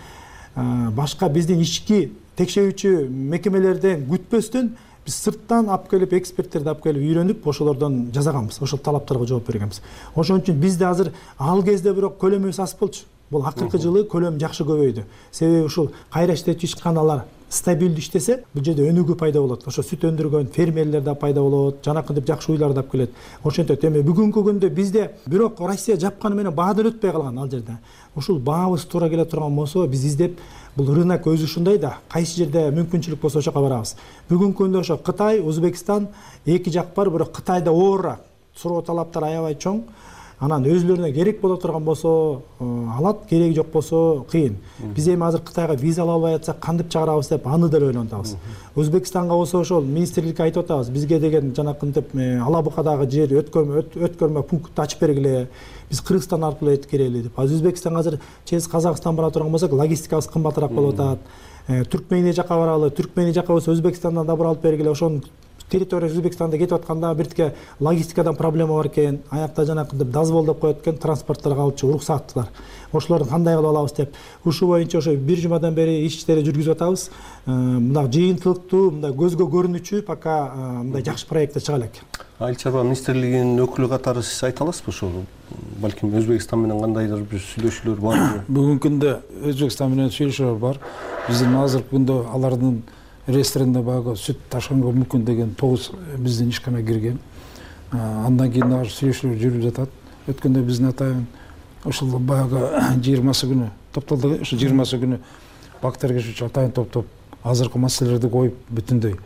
[SPEAKER 21] башка биздин ички текшерүүчү мекемелерден күтпөстөн биз сырттан алып келип, эксперттерди алып келип үйрөнүп, ошолордон жасаганбыз, ошол талаптарга жооп бергенбиз. Ошон үчүн бизде азыр ал кезде бирок көлөмүбүз аз болчу. Бул акыркы жылы көлөм жакшы көбөйдү. Себеби ушул кайра иштетүүчү ишканалар стабилдүү иштесе, бул жерде өнүгүү пайда болот. Ошо сүт өндүргөн фермерлер да пайда болот, жанакынтип жакшы уйлар да келет. Ошентип эми бүгүнкү күндө бизде бирок Россия жапканы менен баадан өтпөй калган ал жерде. Ушул баабыз туура келе турган болсо, биз издеп бул рынок өзү ушундай да, кайсы жерде мүмкүнчүлүк болсо ошоко барабыз. Бүгүнкү күндө ошо Кытай, Өзбекстан эки жак бар, бирок Кытайда оорураак. Суроо талаптар аябай чоң. Анан өзүлөрүнө керек боло турган болсо алат, кереги жок болсо кыйын. Биз эми азыр Кытайга виза ала албай атсак кантип чыгарабыз деп аны деле ойлонуп атабыз. Өзбекстанга болсо ошол министрликке айтып атабыз. Бизге деген жанакынтип Ала Букадагы жер өткөрмө өткөрмө пункт ачып бергиле. Биз Кыргызстан аркылуу келели деп. Азыр Өзбекстанга азыр через Казакстан бара турган болсок, логистикабыз кымбатыраак болуп атат. Түркмения жака баралы, Түркмения жака болсо Өзбекстандан да бир алып бергиле, ошонун территория Өзбекстанда кетип атканда биртке логистикадан проблема бар экен, аякта жанакы дозвол деп коет экен, транспорттор алчу уруксаттар. Ошолорду кандай кылып алабыз деп ушул боюнча ошо бир жумадан бери иштери жүргүзүп атабыз. Мындай жыйынтылыктуу, мындай көзгө көрүнүчү пока мындай жакшы проекттер чыга элек.
[SPEAKER 19] Айыл чарба министрлигинин өкүлү катары сиз айта аласызбы ошол? Балким Өзбекстан менен кандайдыр бир сүйлөшүүлөр барбы?
[SPEAKER 20] Бүгүнкү күндө Өзбекстан менен сүйлөшүүлөр бар. Биздин азыркы күндө алардын реестринде баягы сүт ташыганга мүмкүн деген тогуз биздин ишкана кирген. Андан кийин дагы сүйлөшүүлөр жүрүп жатат. Өткөндө биздин атайын ошол баягы жыйырмасы күнү топтолду. Ошо жыйырмасы күнү бак тергешүүчү атайын топтоп азыркы маселелерди коюп бүтүндөй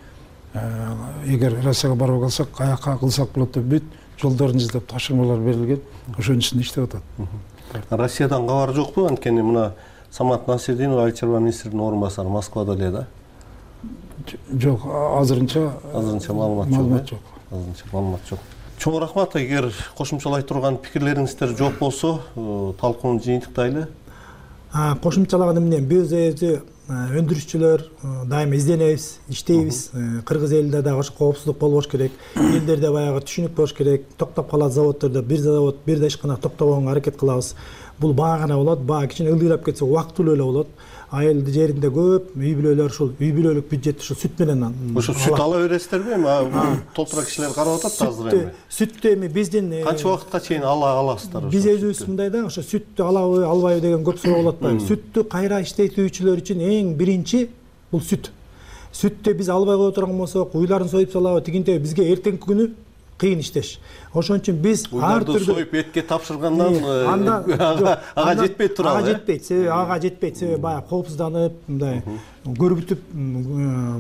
[SPEAKER 20] эгер Россияга барып калсак каяка кылсак болот деп бүт жолдорун издеп тапшырмалар берилген. Ошонун үстүндө иштеп атат.
[SPEAKER 19] Россиядан кабар жокпу? Анткени мына Самат Насирдинов айыл чарба министринин орун басары Москвада эле да.
[SPEAKER 20] Жок, азырынча
[SPEAKER 19] азырынча маалымат жок.
[SPEAKER 20] Маалымат жок.
[SPEAKER 19] Азырынча маалымат жок. Чоң рахмат. Эгер кошумчалай турган пикирлериңиздер жок болсо, талкууну жыйынтыктайлы.
[SPEAKER 21] Кошумчалаган эмне? Биз өзү өндүрүшчүлөр дайыма изденебиз, иштейбиз. Кыргыз элинде дагы ошо коопсуздук болбош керек. Элдерде баягы түшүнүк болуш керек. Токтоп калат заводдордо, бир завод, бир да ишкана токтобогонго аракет кылабыз. Бул баа гана болот. Баа кичине ылдыйлап кетсе убактылуу эле болот. Айыл жеринде көп үй бүлөлөр ушул үй бүлөлүк бюджет ушул сүт менен
[SPEAKER 19] ошо сүт ала бересиздерби? Эми толтура кишилер карап атат азыр эми.
[SPEAKER 21] Сүттү эми биздин
[SPEAKER 19] канча убакытка чейин ала аласыздар?
[SPEAKER 21] Биз өзүбүз мындай да, ошо сүттү алабы, албайбы деген көп суроо болуп атпайбы? Сүттү кайра иштетүүчүлөр үчүн эң биринчи бул сүт. Сүттү биз албай кое турган болсок, уйларын союп салабы, тигинтеби бизге эртеңки күнү кыйын иштеш. Ошон үчүн биз ар түрдүү
[SPEAKER 19] союп этке тапшыргандан ага жетпей турат.
[SPEAKER 21] Ага жетпейт, себеби ага жетпейт, себеби баягы коопсузданып, мындай көрбүтүп,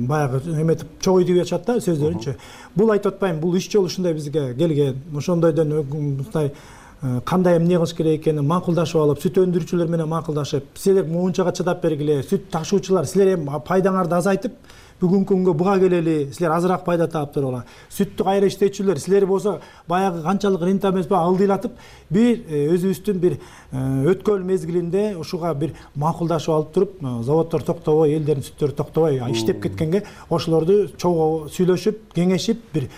[SPEAKER 21] баягы эметип чогуу деп атышат да сөздөрүнчө. Бул айтып атпайм, бул үч жолу ушундай бизге келген. Ошондойдон мындай кандай эмне кылыш керек экенин макулдашып алып, сүт өндүрүүчүлөр менен макулдашып, силер моунчага чыдап бергиле, сүт ташуучулар, силер эми пайдаңарды азайтып, бүгүнкү күнгө буга келели, силер азыраак пайда таап туруңар. Сүттү кайра иштетүүчүлөр, силер болсо баягы канчалык рента эмеспи алдыйлатып, бир өзүбүздүн бир өткөн мезгилинде ушуга бир макулдашып алып туруп, заводдор токтобой, элдердин сүттөрү токтобой иштеп кеткенге ошолорду чогуу сүйлөшүп, кеңешип, бир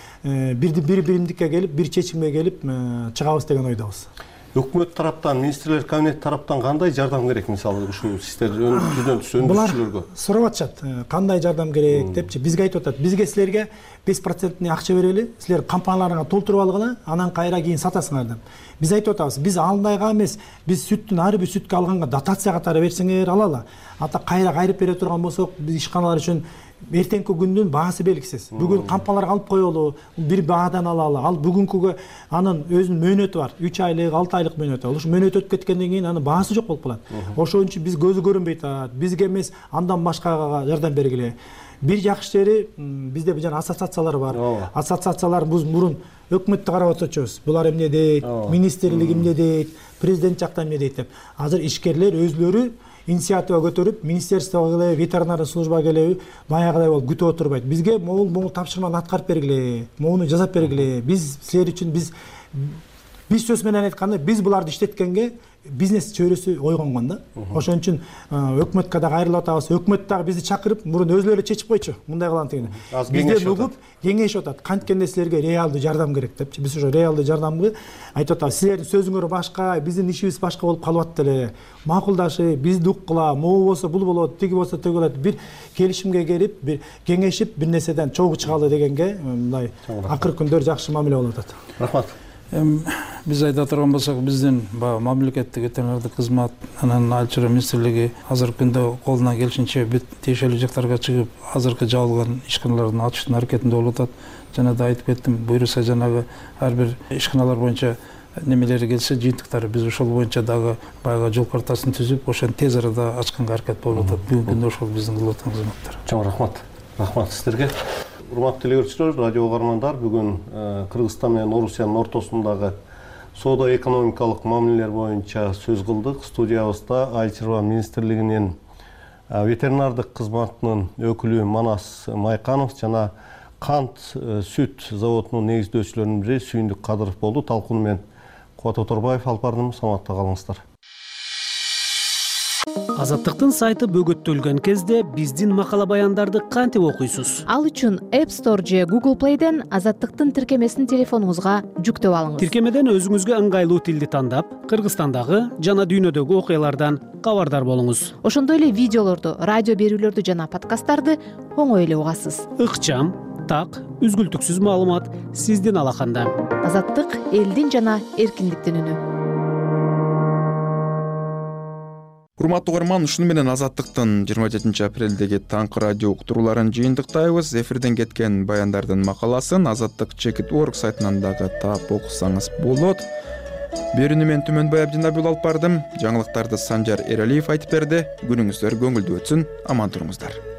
[SPEAKER 21] бир биримдикке келип, бир чечимге келип чыгабыз деген ойдобуз.
[SPEAKER 19] Өкмөт тараптан, министрлер кабинет тараптан кандай жардам керек, мисалы ушул сиздер өндүрүүчүлөргө?
[SPEAKER 21] Булар сурап атышат, кандай жардам керек депчи. Бизге айтып атат, бизге силерге беш проценттин акча берели, силер компанияларыңа толтуруп алгыла, анан кайра кийин сатасыңар деп. Биз айтып атабыз, биз андайга эмес, биз сүттүн ар бир сүткө алганга дотация катары берсеңер алалы. Ата кайра кайрып бере турган болсок, биз ишканалар үчүн эртеңки күндүн баасы белгисиз. Бүгүн компанияларга алып коелу, бир баадан алалы. Ал бүгүнкүгө анын өзүнүн мөөнөтү бар. үч айлык, алты айлык мөөнөтү. Ошо мөөнөт өтүп кеткенден кийин анын баасы жок болуп калат. Ошон үчүн биз көзү көрүнбөй атат. Бизге эмес, андан башкага жардам бергиле. Бир жакшы жери бизде жана ассоциациялар бар. Ассоциациялар биз мурун өкмөттү карап отурчубуз. Булар эмне дейт, министрлик эмне дейт, президент жактан эмне дейт деп. Азыр ишкерлер өзлөрү инициатива көтөрүп, министерствого келеби, ветеринарный службага келеби, баягыдай болуп күтүп отурбайт. Бизге могул могул тапшырманы аткарып бергиле, могуну жасап бергиле. Биз силер үчүн биз биз сөз менен айтканда, биз буларды иштеткенге бизнес чөйрөсү ойгонгон да. Ошон үчүн өкмөткө дагы кайрылып атабыз. Өкмөт дагы бизди чакырып, мурун өзлөрү чечип койчу, мындай кылам деген. Бизден угуп, кеңешип атат. Канткенде силерге реалдуу жардам керек депчи. Биз ошо реалдуу жардамды айтып атабыз. Силердин сөзүңөр башка, биздин ишибиз башка болуп калып атты эле. Макулдашып, бизди уккыла, могу болсо бул болот, тиги болсо тиги болот. Бир келишимге келип, бир кеңешип, бир нерседен чогуу чыгалы дегенге мындай акыркы күндөр жакшы мамиле болуп атат.
[SPEAKER 19] Рахмат.
[SPEAKER 20] Биз айта турган болсок, биздин баягы мамлекеттик ветеринардык кызмат, анан айыл чарба министрлиги азыркы күндө колунан келишинче бүт тиешелүү жактарга чыгып, азыркы жабылган ишканалардын ачыштын аракетинде болуп атат. Жана да айтып кеттим, буюрса жанагы ар бир ишканалар боюнча немелери келсе, жыйынтыктары биз ошол боюнча дагы баягы жол картасын түзүп, ошону тез арада ачканга аракет болуп атат. Бүгүнкү күндө ошол биздин кылып аткан кызматтар.
[SPEAKER 19] Чоң рахмат. Рахмат сиздерге. Урматтуу телегөрүүчүлөр, радио угармандар, бүгүн Кыргызстан менен Орусиянын ортосундагы соода-экономикалык мамилелер боюнча сөз кылдык. Студиябызда айыл чарба министрлигинин ветеринардык кызматынын өкүлү Манас Майканов жана кант сүт заводунун негиздөөчүлөрүнүн бири Сүйүндүк Кадыров болду. Талкууну мен Кубат Оторбаев алып бардым. Саламатта калыңыздар.
[SPEAKER 5] Азаттыктын сайты бөгөттөлгөн кезде биздин макала баяндарды кантип окуйсуз?
[SPEAKER 9] Ал үчүн App Store же Google Play'ден Азаттыктын тиркемесин телефонуңузга жүктөп алыңыз.
[SPEAKER 5] Тиркемеден өзүңүзгө ыңгайлуу тилди тандап, Кыргызстандагы жана дүйнөдөгү окуялардан кабардар болуңуз.
[SPEAKER 9] Ошондой эле видеолорду, радио берүүлөрдү жана подкасттарды оңой эле угасыз.
[SPEAKER 5] Ыкчам, так, үзгүлтүксүз маалымат сиздин алаканда.
[SPEAKER 9] Азаттык элдин жана эркиндиктин үнү.
[SPEAKER 2] Урматтуу угарман, ушуну менен Азаттыктын жыйырма жетинчи апрелдеги таңкы радио уктурууларын жыйынтыктайбыз. Эфирден кеткен баяндардын макаласын азаттык чекит точка орг сайтынан дагы таап окусаңыз болот. Берүүнү мен Түмөнбай Абдинабил алып бардым. Жаңылыктарды Санжар Эралиев айтып берди. Күнүңүздөр көңүлдүү өтсүн, аман туруңуздар.